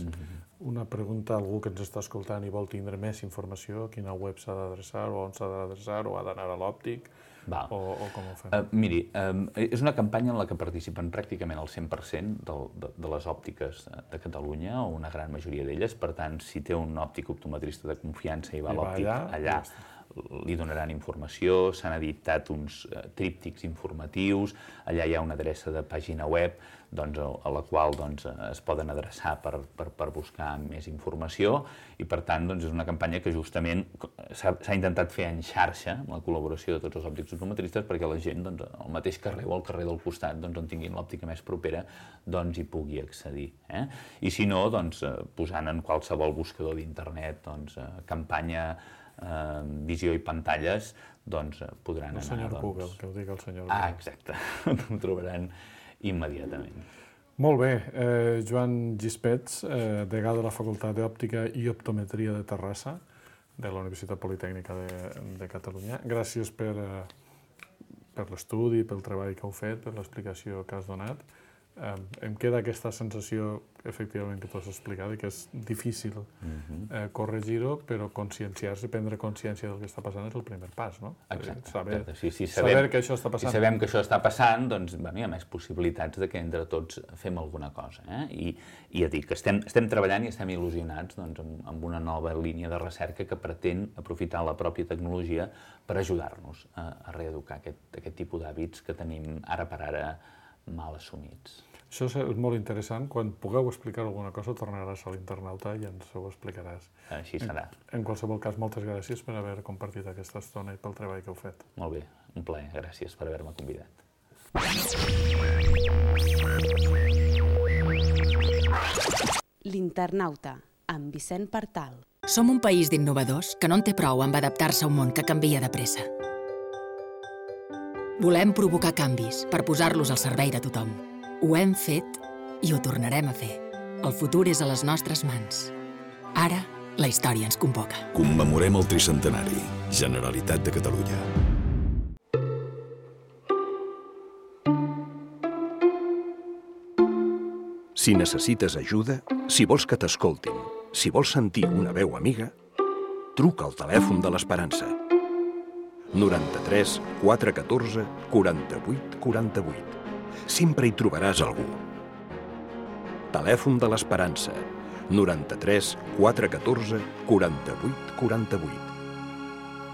Una pregunta a algú que ens està escoltant i vol tindre més informació, quina web s'ha d'adreçar, o on s'ha d'adreçar, o ha d'anar a l'òptic, o com ho fem? Miri, és una campanya en la que participen pràcticament el 100% de les òptiques de Catalunya, o una gran majoria d'elles. Per tant, si té un òptic optometrista de confiança i va a l'òptic, allà li donaran informació. S'han editat uns tríptics informatius, allà hi ha una adreça de pàgina web a la qual es poden adreçar per buscar més informació, i per tant és una campanya que justament s'ha intentat fer en xarxa, amb la col·laboració de tots els òptics optometristes, perquè la gent al mateix carrer o al carrer del costat, on tinguin l'òptica més propera, hi pugui accedir. I si no, posant en qualsevol buscador d'internet campanya Visió i Pantalles, podran anar... El senyor Google, que ho digui el senyor Google. Exacte, ho trobaran immediatament. Molt bé. Joan Gispets, degà de la Facultat d'Òptica i Optometria de Terrassa, de la Universitat Politècnica de Catalunya. Gràcies per l'estudi, pel treball que heu fet, per l'explicació que has donat. Em queda aquesta sensació, efectivament, que tu has explicat, que és difícil corregir-ho, però conscienciar-se, prendre consciència del que està passant és el primer pas, no? Exacte. Saber que això està passant. Si sabem que això està passant, hi ha més possibilitats de que entre tots fem alguna cosa. I ja dic que estem treballant i estem il·lusionats amb una nova línia de recerca que pretén aprofitar la pròpia tecnologia per ajudar-nos a reeducar aquest tipus d'hàbits que tenim ara per ara mal assumits. Això és molt interessant. Quan pugueu explicar alguna cosa, tornaràs a l'internauta i ens ho explicaràs. Així serà. En qualsevol cas, moltes gràcies per haver compartit aquesta estona i pel treball que heu fet. Molt bé, un plaer. Gràcies per haver-me convidat. L'Internauta, amb Vicent Partal. Som un país d'innovadors que no en té prou amb adaptar-se a un món que canvia de pressa. Volem provocar canvis per posar-los al servei de tothom. Ho hem fet i ho tornarem a fer. El futur és a les nostres mans. Ara, la història ens convoca. Commemorem el tricentenari. Generalitat de Catalunya. Si necessites ajuda, si vols que t'escoltin, si vols sentir una veu amiga, truca al telèfon de l'Esperança. 93 414 48 48. Sempre hi trobaràs algú. Telèfon de l'Esperança. 93 414 48 48.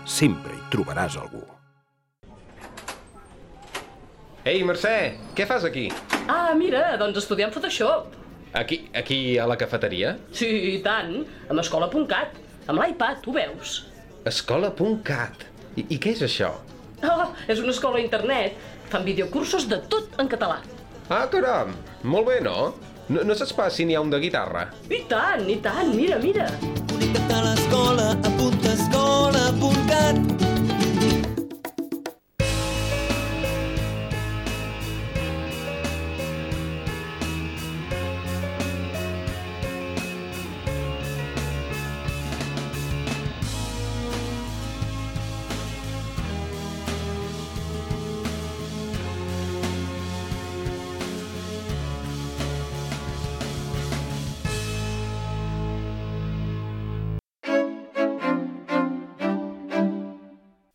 Sempre hi trobaràs algú. Ei, Mercè, què fas aquí? Ah, mira, doncs estudiant Photoshop. Aquí a la cafeteria? Sí, i tant, amb escola.cat, amb l'iPad, ho veus? Escola.cat. I què és això? Ah, és una escola a internet. Fan videocursos de tot en català. Ah, caram, molt bé, no? No saps pas si n'hi ha un de guitarra? I tant, mira. Connecta't a l'escola, apunta escola.cat.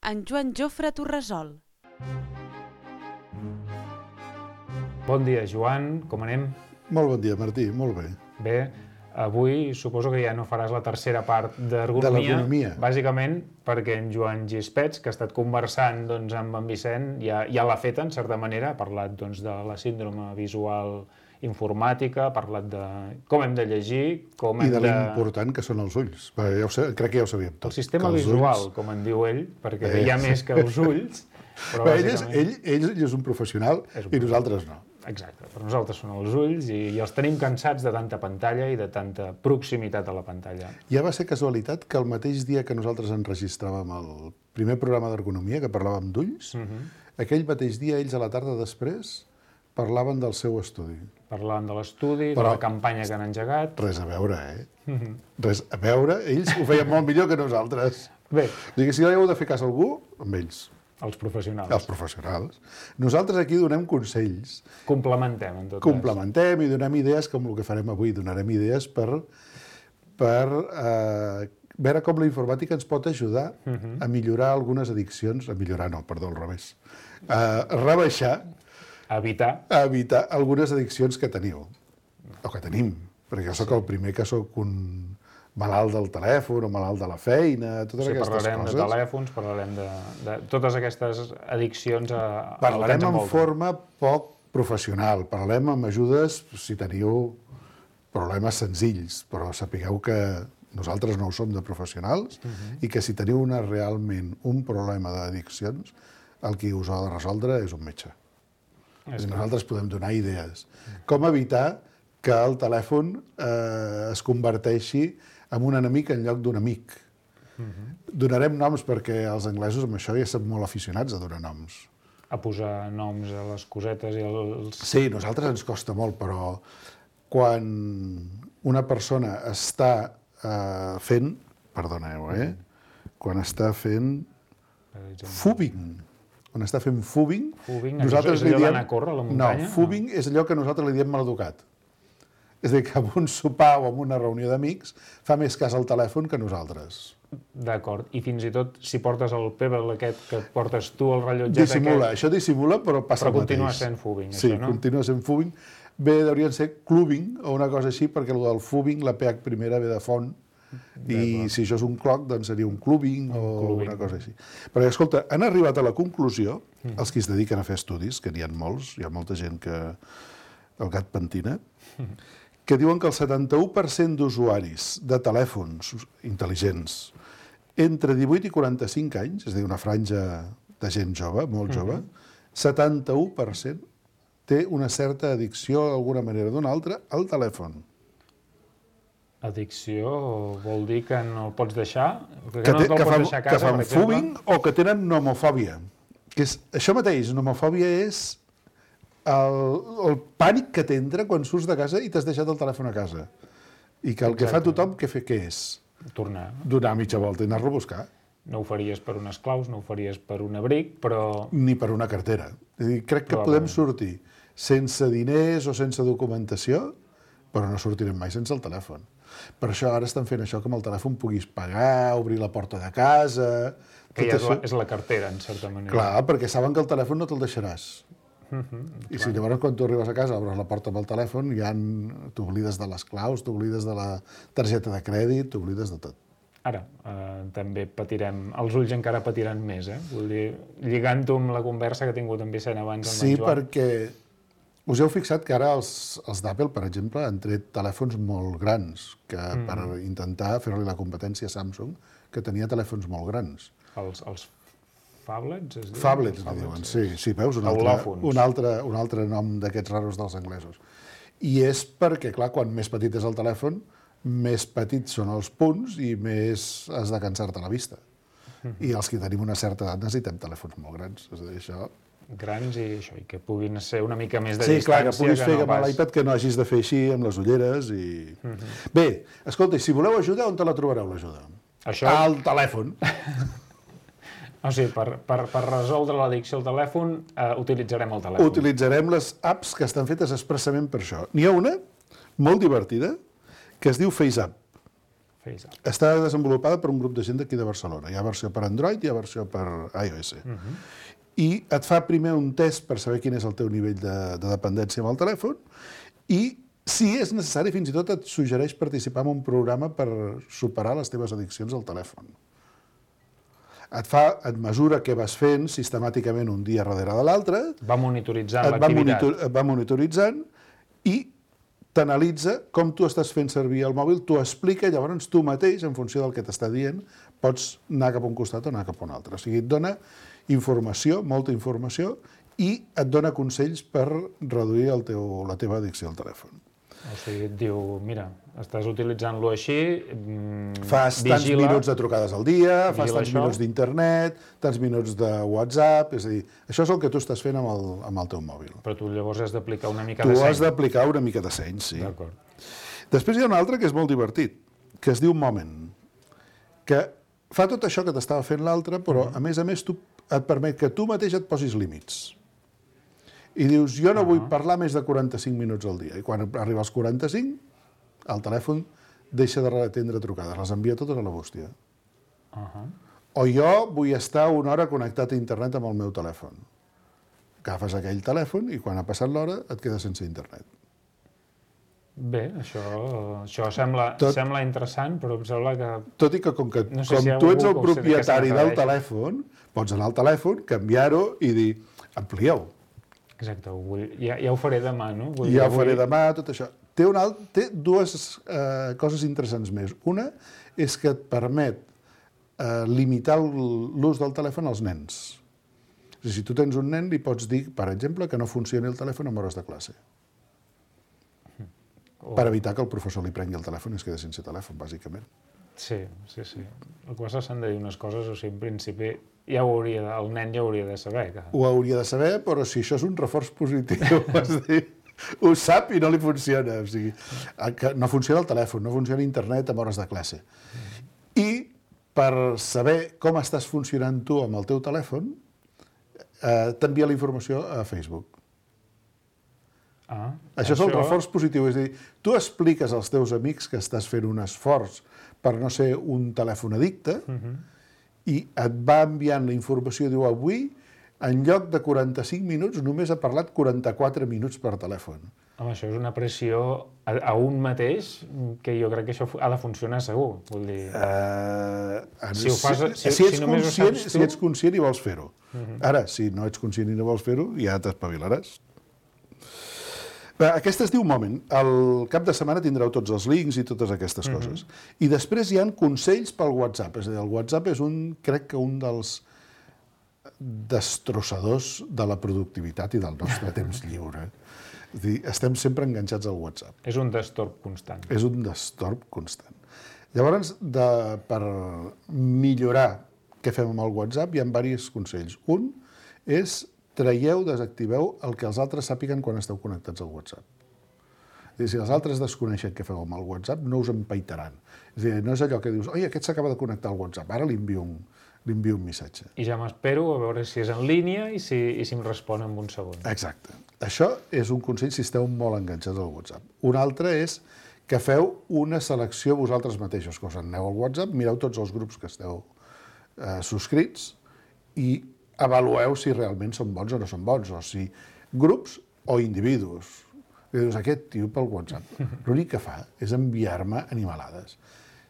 En Joan Jofre Torresol. Bon dia, Joan. Com anem? Molt bon dia, Martí. Molt bé. Bé, avui suposo que ja no faràs la tercera part d'ergonomia. De l'ergonomia. Bàsicament perquè en Joan Gispets, que ha estat conversant amb en Vicent, ja l'ha fet, en certa manera. Ha parlat de la síndrome visual informàtica, ha parlat de com hem de llegir, com hem de... I de l'important que són els ulls. Crec que ja ho sabíem tot. El sistema visual, com en diu ell, perquè hi ha més que els ulls, però bàsicament... Ell és un professional i nosaltres no. Exacte, per nosaltres són els ulls i els tenim cansats de tanta pantalla i de tanta proximitat a la pantalla. Ja va ser casualitat que el mateix dia que nosaltres enregistràvem el primer programa d'ergonomia, que parlàvem d'ulls, aquell mateix dia ells a la tarda després parlaven del seu estudi. Parlaven de l'estudi, de la campanya que han engegat... Res a veure, Res a veure, ells ho feien molt millor que nosaltres. Bé. O sigui, si heu de fer cas a algú, amb ells. Els professionals. Els professionals. Nosaltres aquí donem consells. Complementem, en tot cas. Complementem i donem idees com el que farem avui. Donarem idees per veure com la informàtica ens pot ajudar a millorar algunes addiccions. A millorar no, perdó, al revés. A rebaixar. A evitar algunes addiccions que teniu. O que tenim. Perquè jo sóc el primer que sóc un malalt del telèfon o malalt de la feina, totes aquestes coses. Parlarem de telèfons, parlarem de totes aquestes addiccions a parlarem en forma poc professional, parlarem amb ajudes si teniu problemes senzills, però sapigueu que nosaltres no ho som de professionals i que si teniu realment un problema d'addiccions, el qui us ha de resoldre és un metge. Nosaltres podem donar idees. Com evitar que el telèfon es converteixi en un enemic en lloc d'un amic. Donarem noms perquè els anglesos amb això ja són molt aficionats a donar noms. A posar noms a les cosetes i els... Sí, a nosaltres ens costa molt, però quan una persona està fent... Perdoneu, quan està fent fúbing. Quan està fent fúbing... Fúbing és allò d'anar a córrer a la muntanya? No, fúbing és allò que nosaltres li diem maleducat. És a dir, que amb un sopar o amb una reunió d'amics fa més cas al telèfon que nosaltres. D'acord. I fins i tot si portes el pebble aquest que portes tu, el rellotget dissimula. Això dissimula, però passa el mateix. Però continua sent fúbing, sí, això, no? Sí, continua sent fúbing. Bé, deurien ser clubbing o una cosa així, perquè el del fúbing, la PH primera ve de font, i si això és un cloc, doncs seria un clubbing o una cosa així. Perquè, escolta, han arribat a la conclusió, els que es dediquen a fer estudis, que n'hi ha molts, hi ha molta gent que el gat pentina, que diuen que el 71% d'usuaris de telèfons intel·ligents entre 18 i 45 anys, és a dir, una franja de gent jove, molt jove, 71% té una certa addicció, d'alguna manera o d'una altra, al telèfon. Addicció vol dir que no el pots deixar? Que no te'l pots deixar a casa, per exemple? Que fan fúbing o que tenen nomofòbia. Això mateix, nomofòbia és el pànic que t'entra quan surts de casa i t'has deixat el telèfon a casa. I que el que fa tothom, què és? Tornar. Donar mitja volta i anar-lo a buscar. No ho faries per unes claus, no ho faries per un abric, però... Ni per una cartera. És a dir, crec que podem sortir sense diners o sense documentació, però no sortirem mai sense el telèfon. Per això ara estan fent això que amb el telèfon puguis pagar, obrir la porta de casa... Que ja és la cartera, en certa manera. Clar, perquè saben que el telèfon no te'l deixaràs. I si llavors quan tu arribes a casa obres la porta amb el telèfon, ja t'oblides de les claus, t'oblides de la targeta de crèdit, t'oblides de tot. Ara, també patirem, els ulls encara patiran més, Vull dir, lligant-ho amb la conversa que ha tingut en Vicent abans amb en Joan. Sí, perquè us heu fixat que ara els d'Apple, per exemple, han tret telèfons molt grans, que per intentar fer-li la competència a Samsung, que tenia telèfons molt grans. Els phablets, es diuen? Phablets, li diuen, sí, veus? Un altre nom d'aquests raros dels anglesos. I és perquè, clar, quan més petit és el telèfon, més petits són els punts i més has de cansar-te la vista. I els que tenim una certa edat necessitem telèfons molt grans. És a dir, això... Grans i això, i que puguin ser una mica més de distància. Sí, clar, que puguis fer amb l'iPad, que no hagis de fer així amb les ulleres i... Bé, escolta, si voleu ajuda, on te la trobareu, l'ajuda? Al telèfon. O sigui, per resoldre l'addicció al telèfon, utilitzarem el telèfon. Utilitzarem les apps que estan fetes expressament per això. N'hi ha una molt divertida que es diu FaceApp. Està desenvolupada per un grup de gent d'aquí de Barcelona. Hi ha versió per Android i hi ha versió per iOS. I et fa primer un test per saber quin és el teu nivell de dependència amb el telèfon i, si és necessari, fins i tot et suggereix participar en un programa per superar les teves addiccions al telèfon. Et mesura què vas fent sistemàticament un dia darrere de l'altre. Va monitoritzant l'activitat. Et va monitoritzant i t'analitza com tu estàs fent servir el mòbil, t'ho explica, llavors tu mateix, en funció del que t'està dient, pots anar cap a un costat o anar cap a un altre. O sigui, et dona informació, molta informació, i et dona consells per reduir la teva addicció al telèfon. O sigui, et diu, mira, estàs utilitzant-lo així, fas tants minuts de trucades al dia, fas tants minuts d'internet, tants minuts de WhatsApp, és a dir, això és el que tu estàs fent amb el teu mòbil. Però tu llavors has d'aplicar una mica de seny. Tu has d'aplicar una mica de seny, sí. D'acord. Després hi ha un altre que és molt divertit, que es diu Moment, que fa tot això que t'estava fent l'altre, però a més tu et permet que tu mateix et posis límits. I dius, jo no vull parlar més de 45 minuts al dia. I quan arriba als 45, el telèfon deixa de atendre trucades, les envia totes a la bústia. O jo vull estar una hora connectat a internet amb el meu telèfon. Agafes aquell telèfon i quan ha passat l'hora et quedes sense internet. Bé, això sembla interessant, però em sembla que... Tot i que com tu ets el propietari del telèfon, pots anar al telèfon, canviar-ho i dir, amplieu. Exacte, ja ho faré demà, no? Ja ho faré demà, tot això. Té dues coses interessants més. Una és que et permet limitar l'ús del telèfon als nens. És a dir, si tu tens un nen, li pots dir, per exemple, que no funcioni el telèfon en hores de classe. Per evitar que el professor li prengui el telèfon i es quedi sense telèfon, bàsicament. Sí. El que passa s'han de dir unes coses, o sigui, en principi, el nen ja hauria de saber. Ho hauria de saber, però si això és un reforç positiu, és dir, ho sap i no li funciona. O sigui, no funciona el telèfon, no funciona internet en hores de classe. I per saber com estàs funcionant tu amb el teu telèfon, t'envia la informació a Facebook. Això és el reforç positiu, és a dir, tu expliques als teus amics que estàs fent un esforç per no ser un telèfon addicte i et va enviant la informació, diu, avui, en lloc de 45 minuts, només ha parlat 44 minuts per telèfon. Home, això és una pressió a un mateix, que jo crec que això ha de funcionar segur. Vull dir... Si ets conscient i vols fer-ho. Ara, si no ets conscient i no vols fer-ho, ja t'espavilaràs. Aquesta es diu Moment. Al cap de setmana tindreu tots els links i totes aquestes coses. I després hi ha consells pel WhatsApp. És a dir, el WhatsApp és crec que un dels destrossadors de la productivitat i del nostre temps lliure. És a dir, estem sempre enganxats al WhatsApp. És un destorb constant. És un destorb constant. Llavors, per millorar què fem amb el WhatsApp, hi ha diversos consells. Un és desactiveu el que els altres sàpiguen quan esteu connectats al WhatsApp. És a dir, si els altres desconeixen què feu amb el WhatsApp, no us empaitaran. És a dir, no és allò que dius, oi, aquest s'acaba de connectar al WhatsApp, ara li envio un missatge. I ja m'espero a veure si és en línia i si em respon en un segon. Exacte. Això és un consell si esteu molt enganxats al WhatsApp. Un altre és que feu una selecció vosaltres mateixos, que us aneu al WhatsApp, mireu tots els grups que esteu subscrits i avalueu si realment són bons o no són bons, o si grups o individus. I dius, aquest tio pel WhatsApp, l'únic que fa és enviar-me animalades.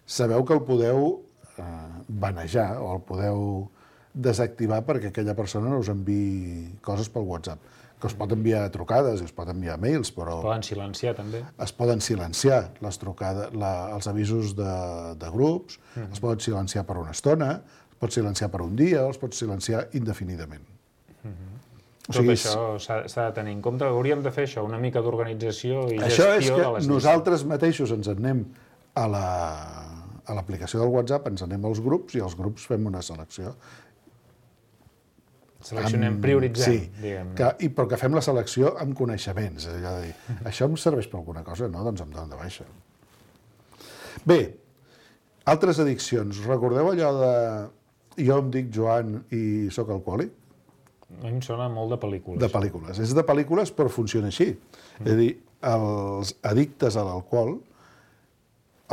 Sabeu que el podeu banejar o el podeu desactivar perquè aquella persona no us enviï coses pel WhatsApp. Que us pot enviar trucades, us pot enviar mails, però... Es poden silenciar, també. Es poden silenciar les trucades, els avisos de grups, es poden silenciar per una estona, es pot silenciar per un dia, els pots silenciar indefinidament. Tot això s'ha de tenir en compte. Hauríem de fer això, una mica d'organització i gestió de les llistes. Això és que nosaltres mateixos ens anem a l'aplicació del WhatsApp, ens anem als grups i als grups fem una selecció. Seleccionem, prioritzem, diguem-ne. Però que fem la selecció amb coneixements. És allò de dir, això em serveix per alguna cosa? No, doncs em donen de baixa. Bé, altres addiccions. Recordeu allò de jo em dic Joan i sóc alcohòlic? A mi em sona molt de pel·lícules. De pel·lícules. És de pel·lícules, però funciona així. És a dir, els addictes a l'alcohol,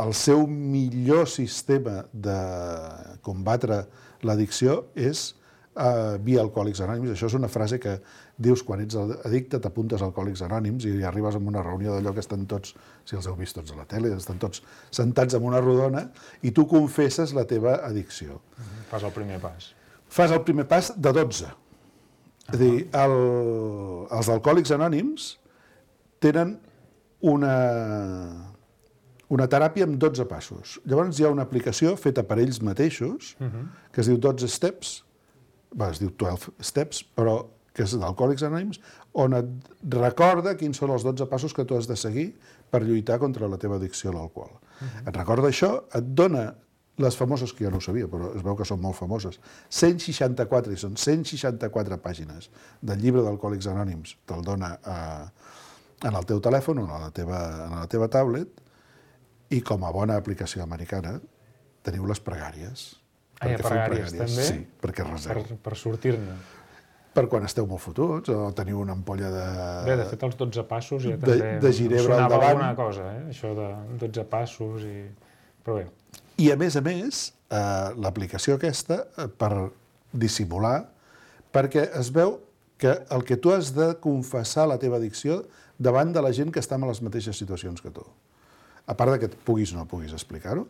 el seu millor sistema de combatre l'addicció és via Alcohòlics Anònims. Això és una frase que dius quan ets addicte, t'apuntes a Alcohòlics Anònims i arribes a una reunió d'allò que estan tots, si els heu vist tots a la tele, estan tots sentats en una rodona i tu confesses la teva addicció. Fas el primer pas. Fas el primer pas de 12. És a dir, els Alcohòlics Anònims tenen una teràpia amb 12 passos. Llavors hi ha una aplicació feta per ells mateixos que es diu 12 Steps, es diu 12 Steps, però que és d'Alcohòlics Anònims, on et recorda quins són els 12 passos que tu has de seguir per lluitar contra la teva addicció a l'alcohol. Et recorda això, et dona les famoses, que jo no ho sabia, però es veu que són molt famoses, 164, i són 164 pàgines del llibre d'Alcohòlics Anònims, te'l dona en el teu telèfon o en la teva tablet, i com a bona aplicació americana teniu les pregàries. Ah, pregàries també? Sí, perquè reseu. Per sortir-ne. Per quan esteu molt fotuts o teniu una ampolla de... Bé, de fet, els 12 passos ja també de ginebra al sonava davant. alguna cosa, això de 12 passos i... Però bé. I a més, l'aplicació aquesta, per dissimular, perquè es veu que el que tu has de confessar la teva addicció davant de la gent que està en les mateixes situacions que tu. A part de que puguis o no puguis explicar-ho,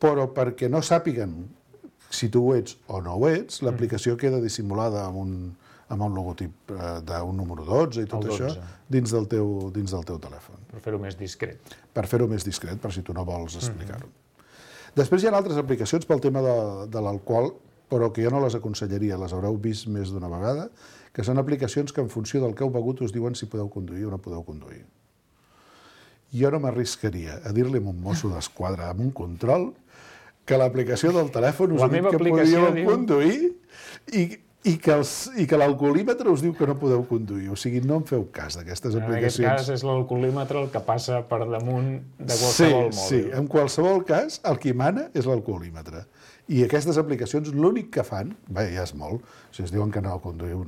però perquè no sàpiguen si tu ho ets o no ho ets, l'aplicació queda dissimulada amb un logotip d'un número 12 i tot això dins del teu telèfon. Per fer-ho més discret. Per fer-ho més discret, per si tu no vols explicar-ho. Després hi ha altres aplicacions pel tema de l'alcohol, però que jo no les aconsellaria, les haureu vist més d'una vegada, que són aplicacions que en funció del que heu begut us diuen si podeu conduir o no podeu conduir. Jo no m'arriscaria a dir-li a un mosso d'esquadra amb un control que l'aplicació del telèfon us diu que podíeu conduir i que l'alcoholímetre us diu que no podeu conduir. O sigui, no en feu cas d'aquestes aplicacions. En aquest cas és l'alcoholímetre el que passa per damunt de qualsevol mòbil. Sí, en qualsevol cas, el que mana és l'alcoholímetre. I aquestes aplicacions l'únic que fan, bé, ja és molt, si es diuen que no conduïu,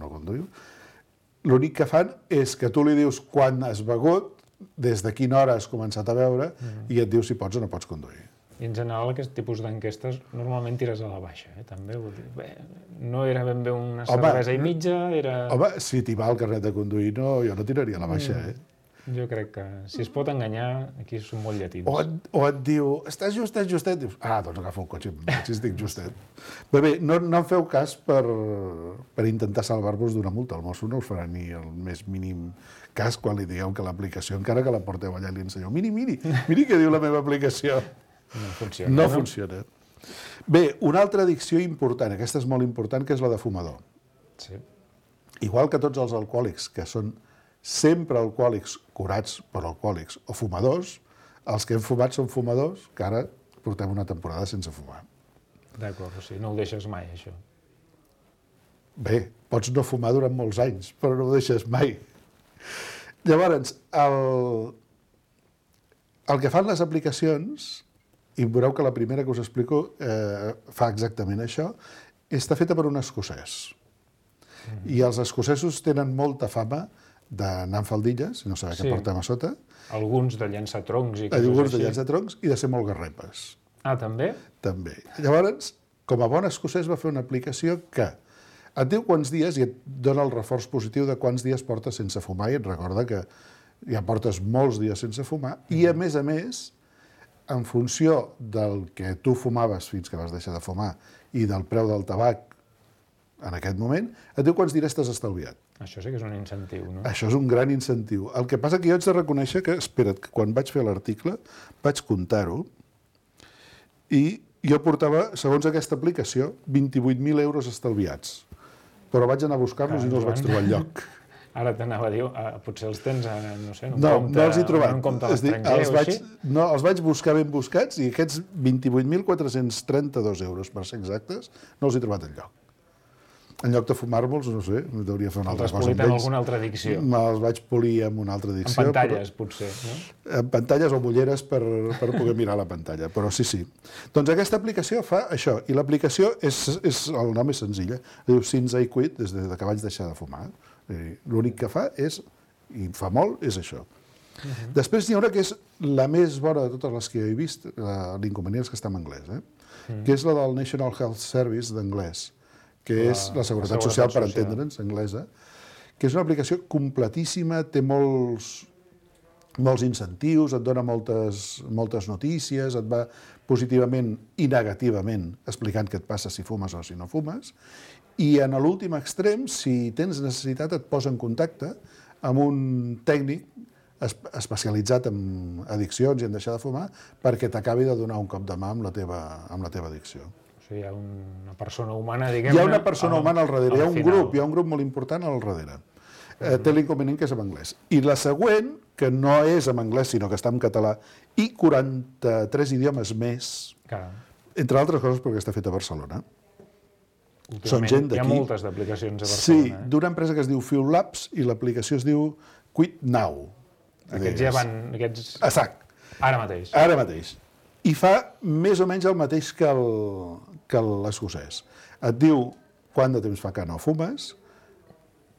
l'únic que fan és que tu li dius quan has begut, des de quina hora has començat a beure, i et diu si pots o no pots conduir. I en general aquest tipus d'enquestes normalment tires a la baixa, també. Bé, no era ben bé una cervesa i mitja, era... Home, si t'hi va el carnet de conduir, jo no tiraria a la baixa, Jo crec que si es pot enganyar, aquí són molt llatins. O et diu, estàs justet? Dius, doncs agafa un cotxe, si estic justet. Bé, no en feu cas per intentar salvar-vos d'una multa. El mosso no us farà ni el més mínim cas quan li digueu que l'aplicació, encara que la porteu allà i li ensenyeu, miri què diu la meva aplicació. No funciona. Bé, una altra addicció important, aquesta és molt important, que és la de fumador. Sí. Igual que tots els alcohòlics, que són sempre alcohòlics curats per alcohòlics o fumadors, els que hem fumat són fumadors, que ara portem una temporada sense fumar. D'acord, o sigui, no ho deixes mai, això. Bé, pots no fumar durant molts anys, però no ho deixes mai. Llavors, el que fan les aplicacions, i veureu que la primera que us explico fa exactament això, està feta per un escocès. I els escocesos tenen molta fama d'anar amb faldilles, i no saber què portem a sota. Alguns de llançar troncs i coses així. Alguns de llançar troncs i de ser molt garrepes. Ah, també? També. Llavors, com a bon escocès, va fer una aplicació que et diu quants dies i et dona el reforç positiu de quants dies portes sense fumar i et recorda que ja portes molts dies sense fumar i, a més, en funció del que tu fumaves fins que vas deixar de fumar i del preu del tabac en aquest moment, et diu quants diners t'has estalviat. Això sí que és un incentiu, no? Això és un gran incentiu. El que passa que jo haig de reconèixer que, espera't, que quan vaig fer l'article vaig comptar-ho i jo portava, segons aquesta aplicació, 28.000 euros estalviats. Però vaig anar a buscar-los i no els vaig trobar enlloc. Ara t'anava a dir, potser els tens, no sé, en no els he trobat. En un compte a l'estranger o així? No, els vaig buscar ben buscats i aquests 28.432 euros, per ser exactes, no els he trobat enlloc. En lloc de fumar-me'ls, no sé, hauria de fer una altra cosa amb ells. Els has polit amb alguna altra addicció. Me'ls vaig polir amb una altra addicció. En pantalles, potser, no? En pantalles o mulleres per poder mirar la pantalla, però sí. Doncs aquesta aplicació fa això, i l'aplicació el nom és senzilla, diu Since I Quit, des que vaig deixar de fumar. L'únic que fa és, i fa molt, és això. Després n'hi ha una que és la més bona de totes les que jo he vist, l'inconvenient és que està en anglès, que és la del National Health Service d'anglès, que és la Seguretat Social, per entendre'ns, anglesa, que és una aplicació completíssima, té molts incentius, et dona moltes notícies, et va positivament i negativament explicant què et passa si fumes o si no fumes, i en l'últim extrem, si tens necessitat, et posa en contacte amb un tècnic especialitzat en addiccions i en deixar de fumar perquè t'acabi de donar un cop de mà amb la teva addicció. O sigui, hi ha una persona humana, diguem-ne... Hi ha una persona humana al darrere, hi ha un grup molt important al darrere. Té l'inconvenient que és en anglès. I la següent, que no és en anglès, sinó que està en català, i 43 idiomes més, entre altres coses perquè està feta a Barcelona. Són gent d'aquí. Hi ha moltes d'aplicacions a Barcelona. Sí, d'una empresa que es diu Fuel Labs i l'aplicació es diu Quit Now. Aquests ja van... Exacte. Ara mateix. Ara mateix. i fa més o menys el mateix que l'escocès. Et diu quant de temps fa que no fumes,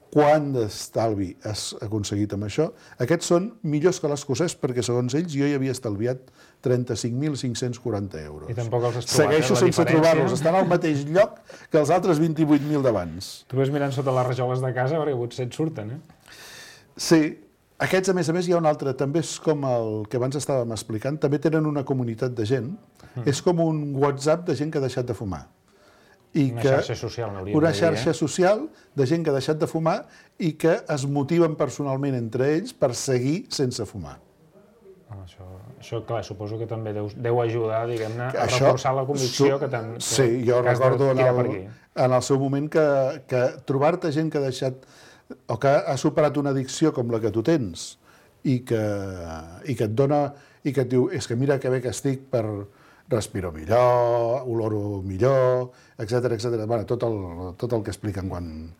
quant d'estalvi has aconseguit amb això. Aquests són millors que l'escocès perquè, segons ells, jo hi havia estalviat 35.540 euros. I tampoc els has trobat, Segueixo sense trobar-los, estan al mateix lloc que els altres 28.000 d'abans. Tu vas mirant sota les rajoles de casa perquè potser et surten, Sí. Aquests, a més, hi ha un altre, també és com el que abans estàvem explicant, també tenen una comunitat de gent, és com un WhatsApp de gent que ha deixat de fumar. Una xarxa social, n'hauríem de dir. Una xarxa social de gent que ha deixat de fumar i que es motiven personalment entre ells per seguir sense fumar. Això, clar, suposo que també deu ajudar, diguem-ne, a reforçar la convicció que t'han... Sí, jo recordo en el seu moment que trobar-te gent que ha deixat o que ha superat una addicció com la que tu tens i que et dona i que et diu, és que mira que bé que estic per respiro millor, oloro millor, etc. Bueno, tot el que expliquen quan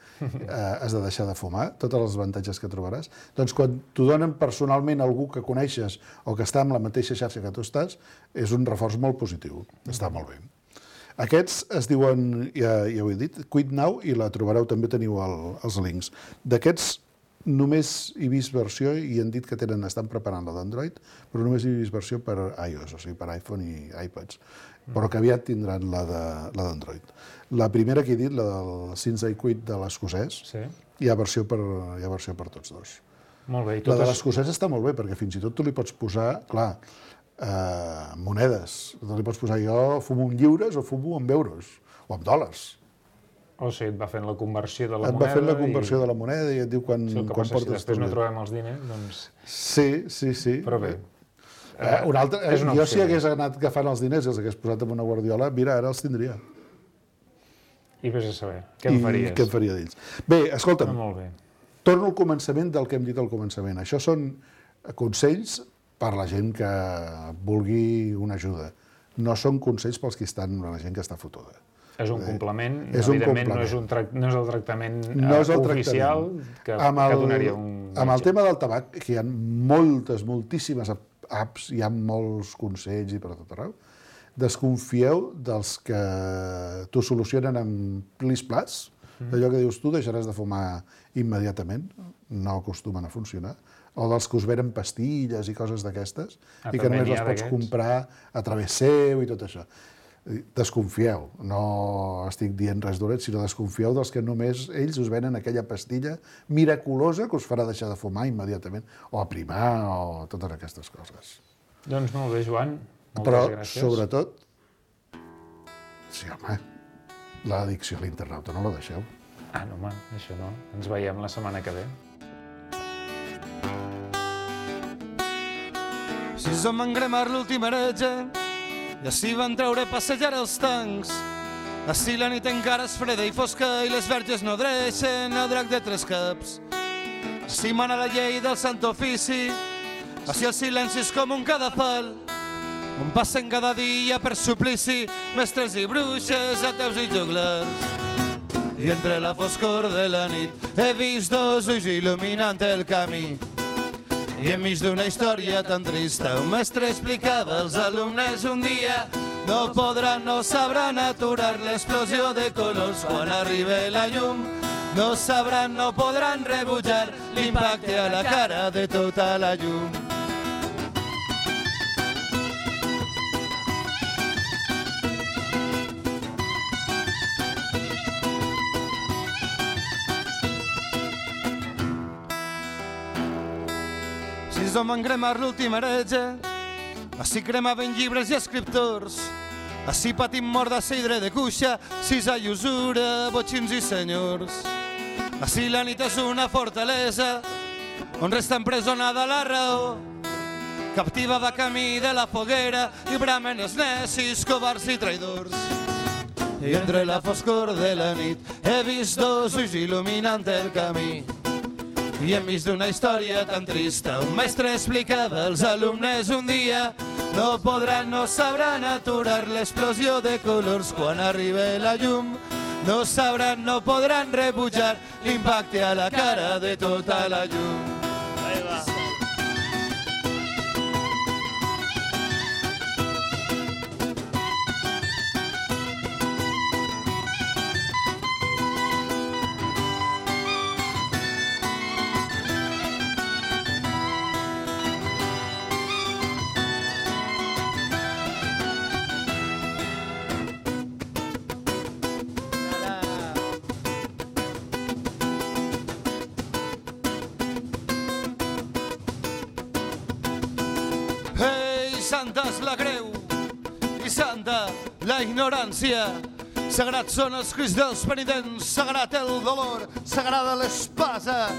has de deixar de fumar, tots els avantatges que trobaràs. Doncs quan t'ho donen personalment algú que coneixes o que està en la mateixa xarxa que tu estàs, és un reforç molt positiu, està molt bé. Aquests es diuen, ja ho he dit, Quit Now, i la trobareu, també teniu els links. D'aquests només he vist versió, i han dit que estan preparant la d'Android, però només he vist versió per iOS, o sigui, per iPhone i iPads, però que aviat tindran la d'Android. La primera que he dit, la del Since I Quit de l'escocès, hi ha versió per tots dos. Molt bé. La de l'escocès està molt bé, perquè fins i tot tu li pots posar, clar, monedes. Li pots posar, jo fumo en lliures o fumo en euros, o en dòlars. O sigui, et va fent la conversió de la moneda. Et va fent la conversió de la moneda i et diu quan portes... Si després no trobem els diners, doncs... Sí. Però bé. Jo si hagués anat agafant els diners i els hagués posat en una guardiola, mira, ara els tindria. I vés a saber, què en faries? Què en faria d'ells? Bé, escolta'm, molt bé. Torno al començament del que hem dit al començament. Això són consells per la gent que vulgui una ajuda. No són consells pels que estan, la gent que està fotuda. És un complement, evidentment no és el tractament oficial que donaria un metge. Amb el tema del tabac, que hi ha moltíssimes apps, hi ha molts consells i per tot arreu, desconfieu dels que t'ho solucionen amb plis-plas, d'allò que dius tu deixaràs de fumar immediatament, no acostumen a funcionar, o dels que us venen pastilles i coses d'aquestes, i que només les pots comprar a través seu i tot això. Desconfieu, no estic dient res dolent, sinó desconfieu dels que només ells us venen aquella pastilla miraculosa que us farà deixar de fumar immediatament, o aprimar, o totes aquestes coses. Doncs molt bé, Joan, moltes gràcies. Però, sobretot, sí, home, l'addicció a l'internauta no la deixeu. No, home, això no. Ens veiem la setmana que ve. Si som en cremar l'últim heretge, i així van treure a passejar els tancs. Així la nit encara és freda i fosca i les verges no dreixen el drac de tres caps. Així mana la llei del sant ofici, així el silenci és com un cadafal, on passen cada dia per suplici mestres i bruixes, ateus i joglars. I entre la foscor de la nit he vist dos ulls il·luminant el camí. I enmig d'una història tan trista, un mestre explicava als alumnes un dia no podran, no sabran aturar l'explosió de colors quan arribi la llum. No sabran, no podran rebutjar l'impacte a la cara de tota la llum. Si som en cremar l'últim heretge, així cremaven llibres i escriptors, així patim mort de seidre de cuixa, sisa i usura, botxins i senyors. Així la nit és una fortalesa, on resta empresonada la raó, captiva de camí de la foguera, i bramen els necis, covards i traïdors. I entre la foscor de la nit he vist dos ulls il·luminant el camí. I enmig d'una història tan trista, un mestre explicava als alumnes un dia no podran, no sabran aturar l'explosió de colors quan arribi la llum. No sabran, no podran rebutjar l'impacte a la cara de tota la llum. santa és la creu, i santa la ignorància. Sagrats són els cris dels penitents, sagrat el dolor, sagrada l'espasa.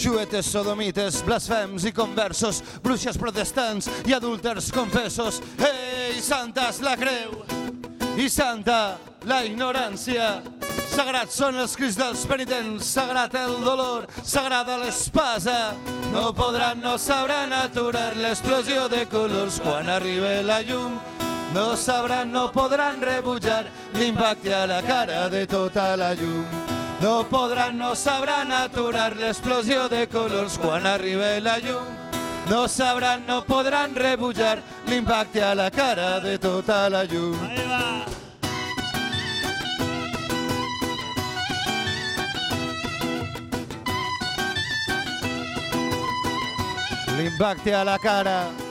Juetes, sodomites, blasfems i conversos, bruixes protestants i adúlters confessos. Ei, santa és la creu, i santa la ignorància. Sagrats són els cris dels penitents, sagrat el dolor, sagrada l'espasa. No podran, no sabran aturar l'explosió de colors quan arribi la llum. No sabran, no podran rebutjar l'impacte a la cara de tota la llum. No podran, no sabran aturar l'explosió de colors quan arribi la llum. No sabran, no podran rebutjar l'impacte a la cara de tota la llum. L'impacte a la cara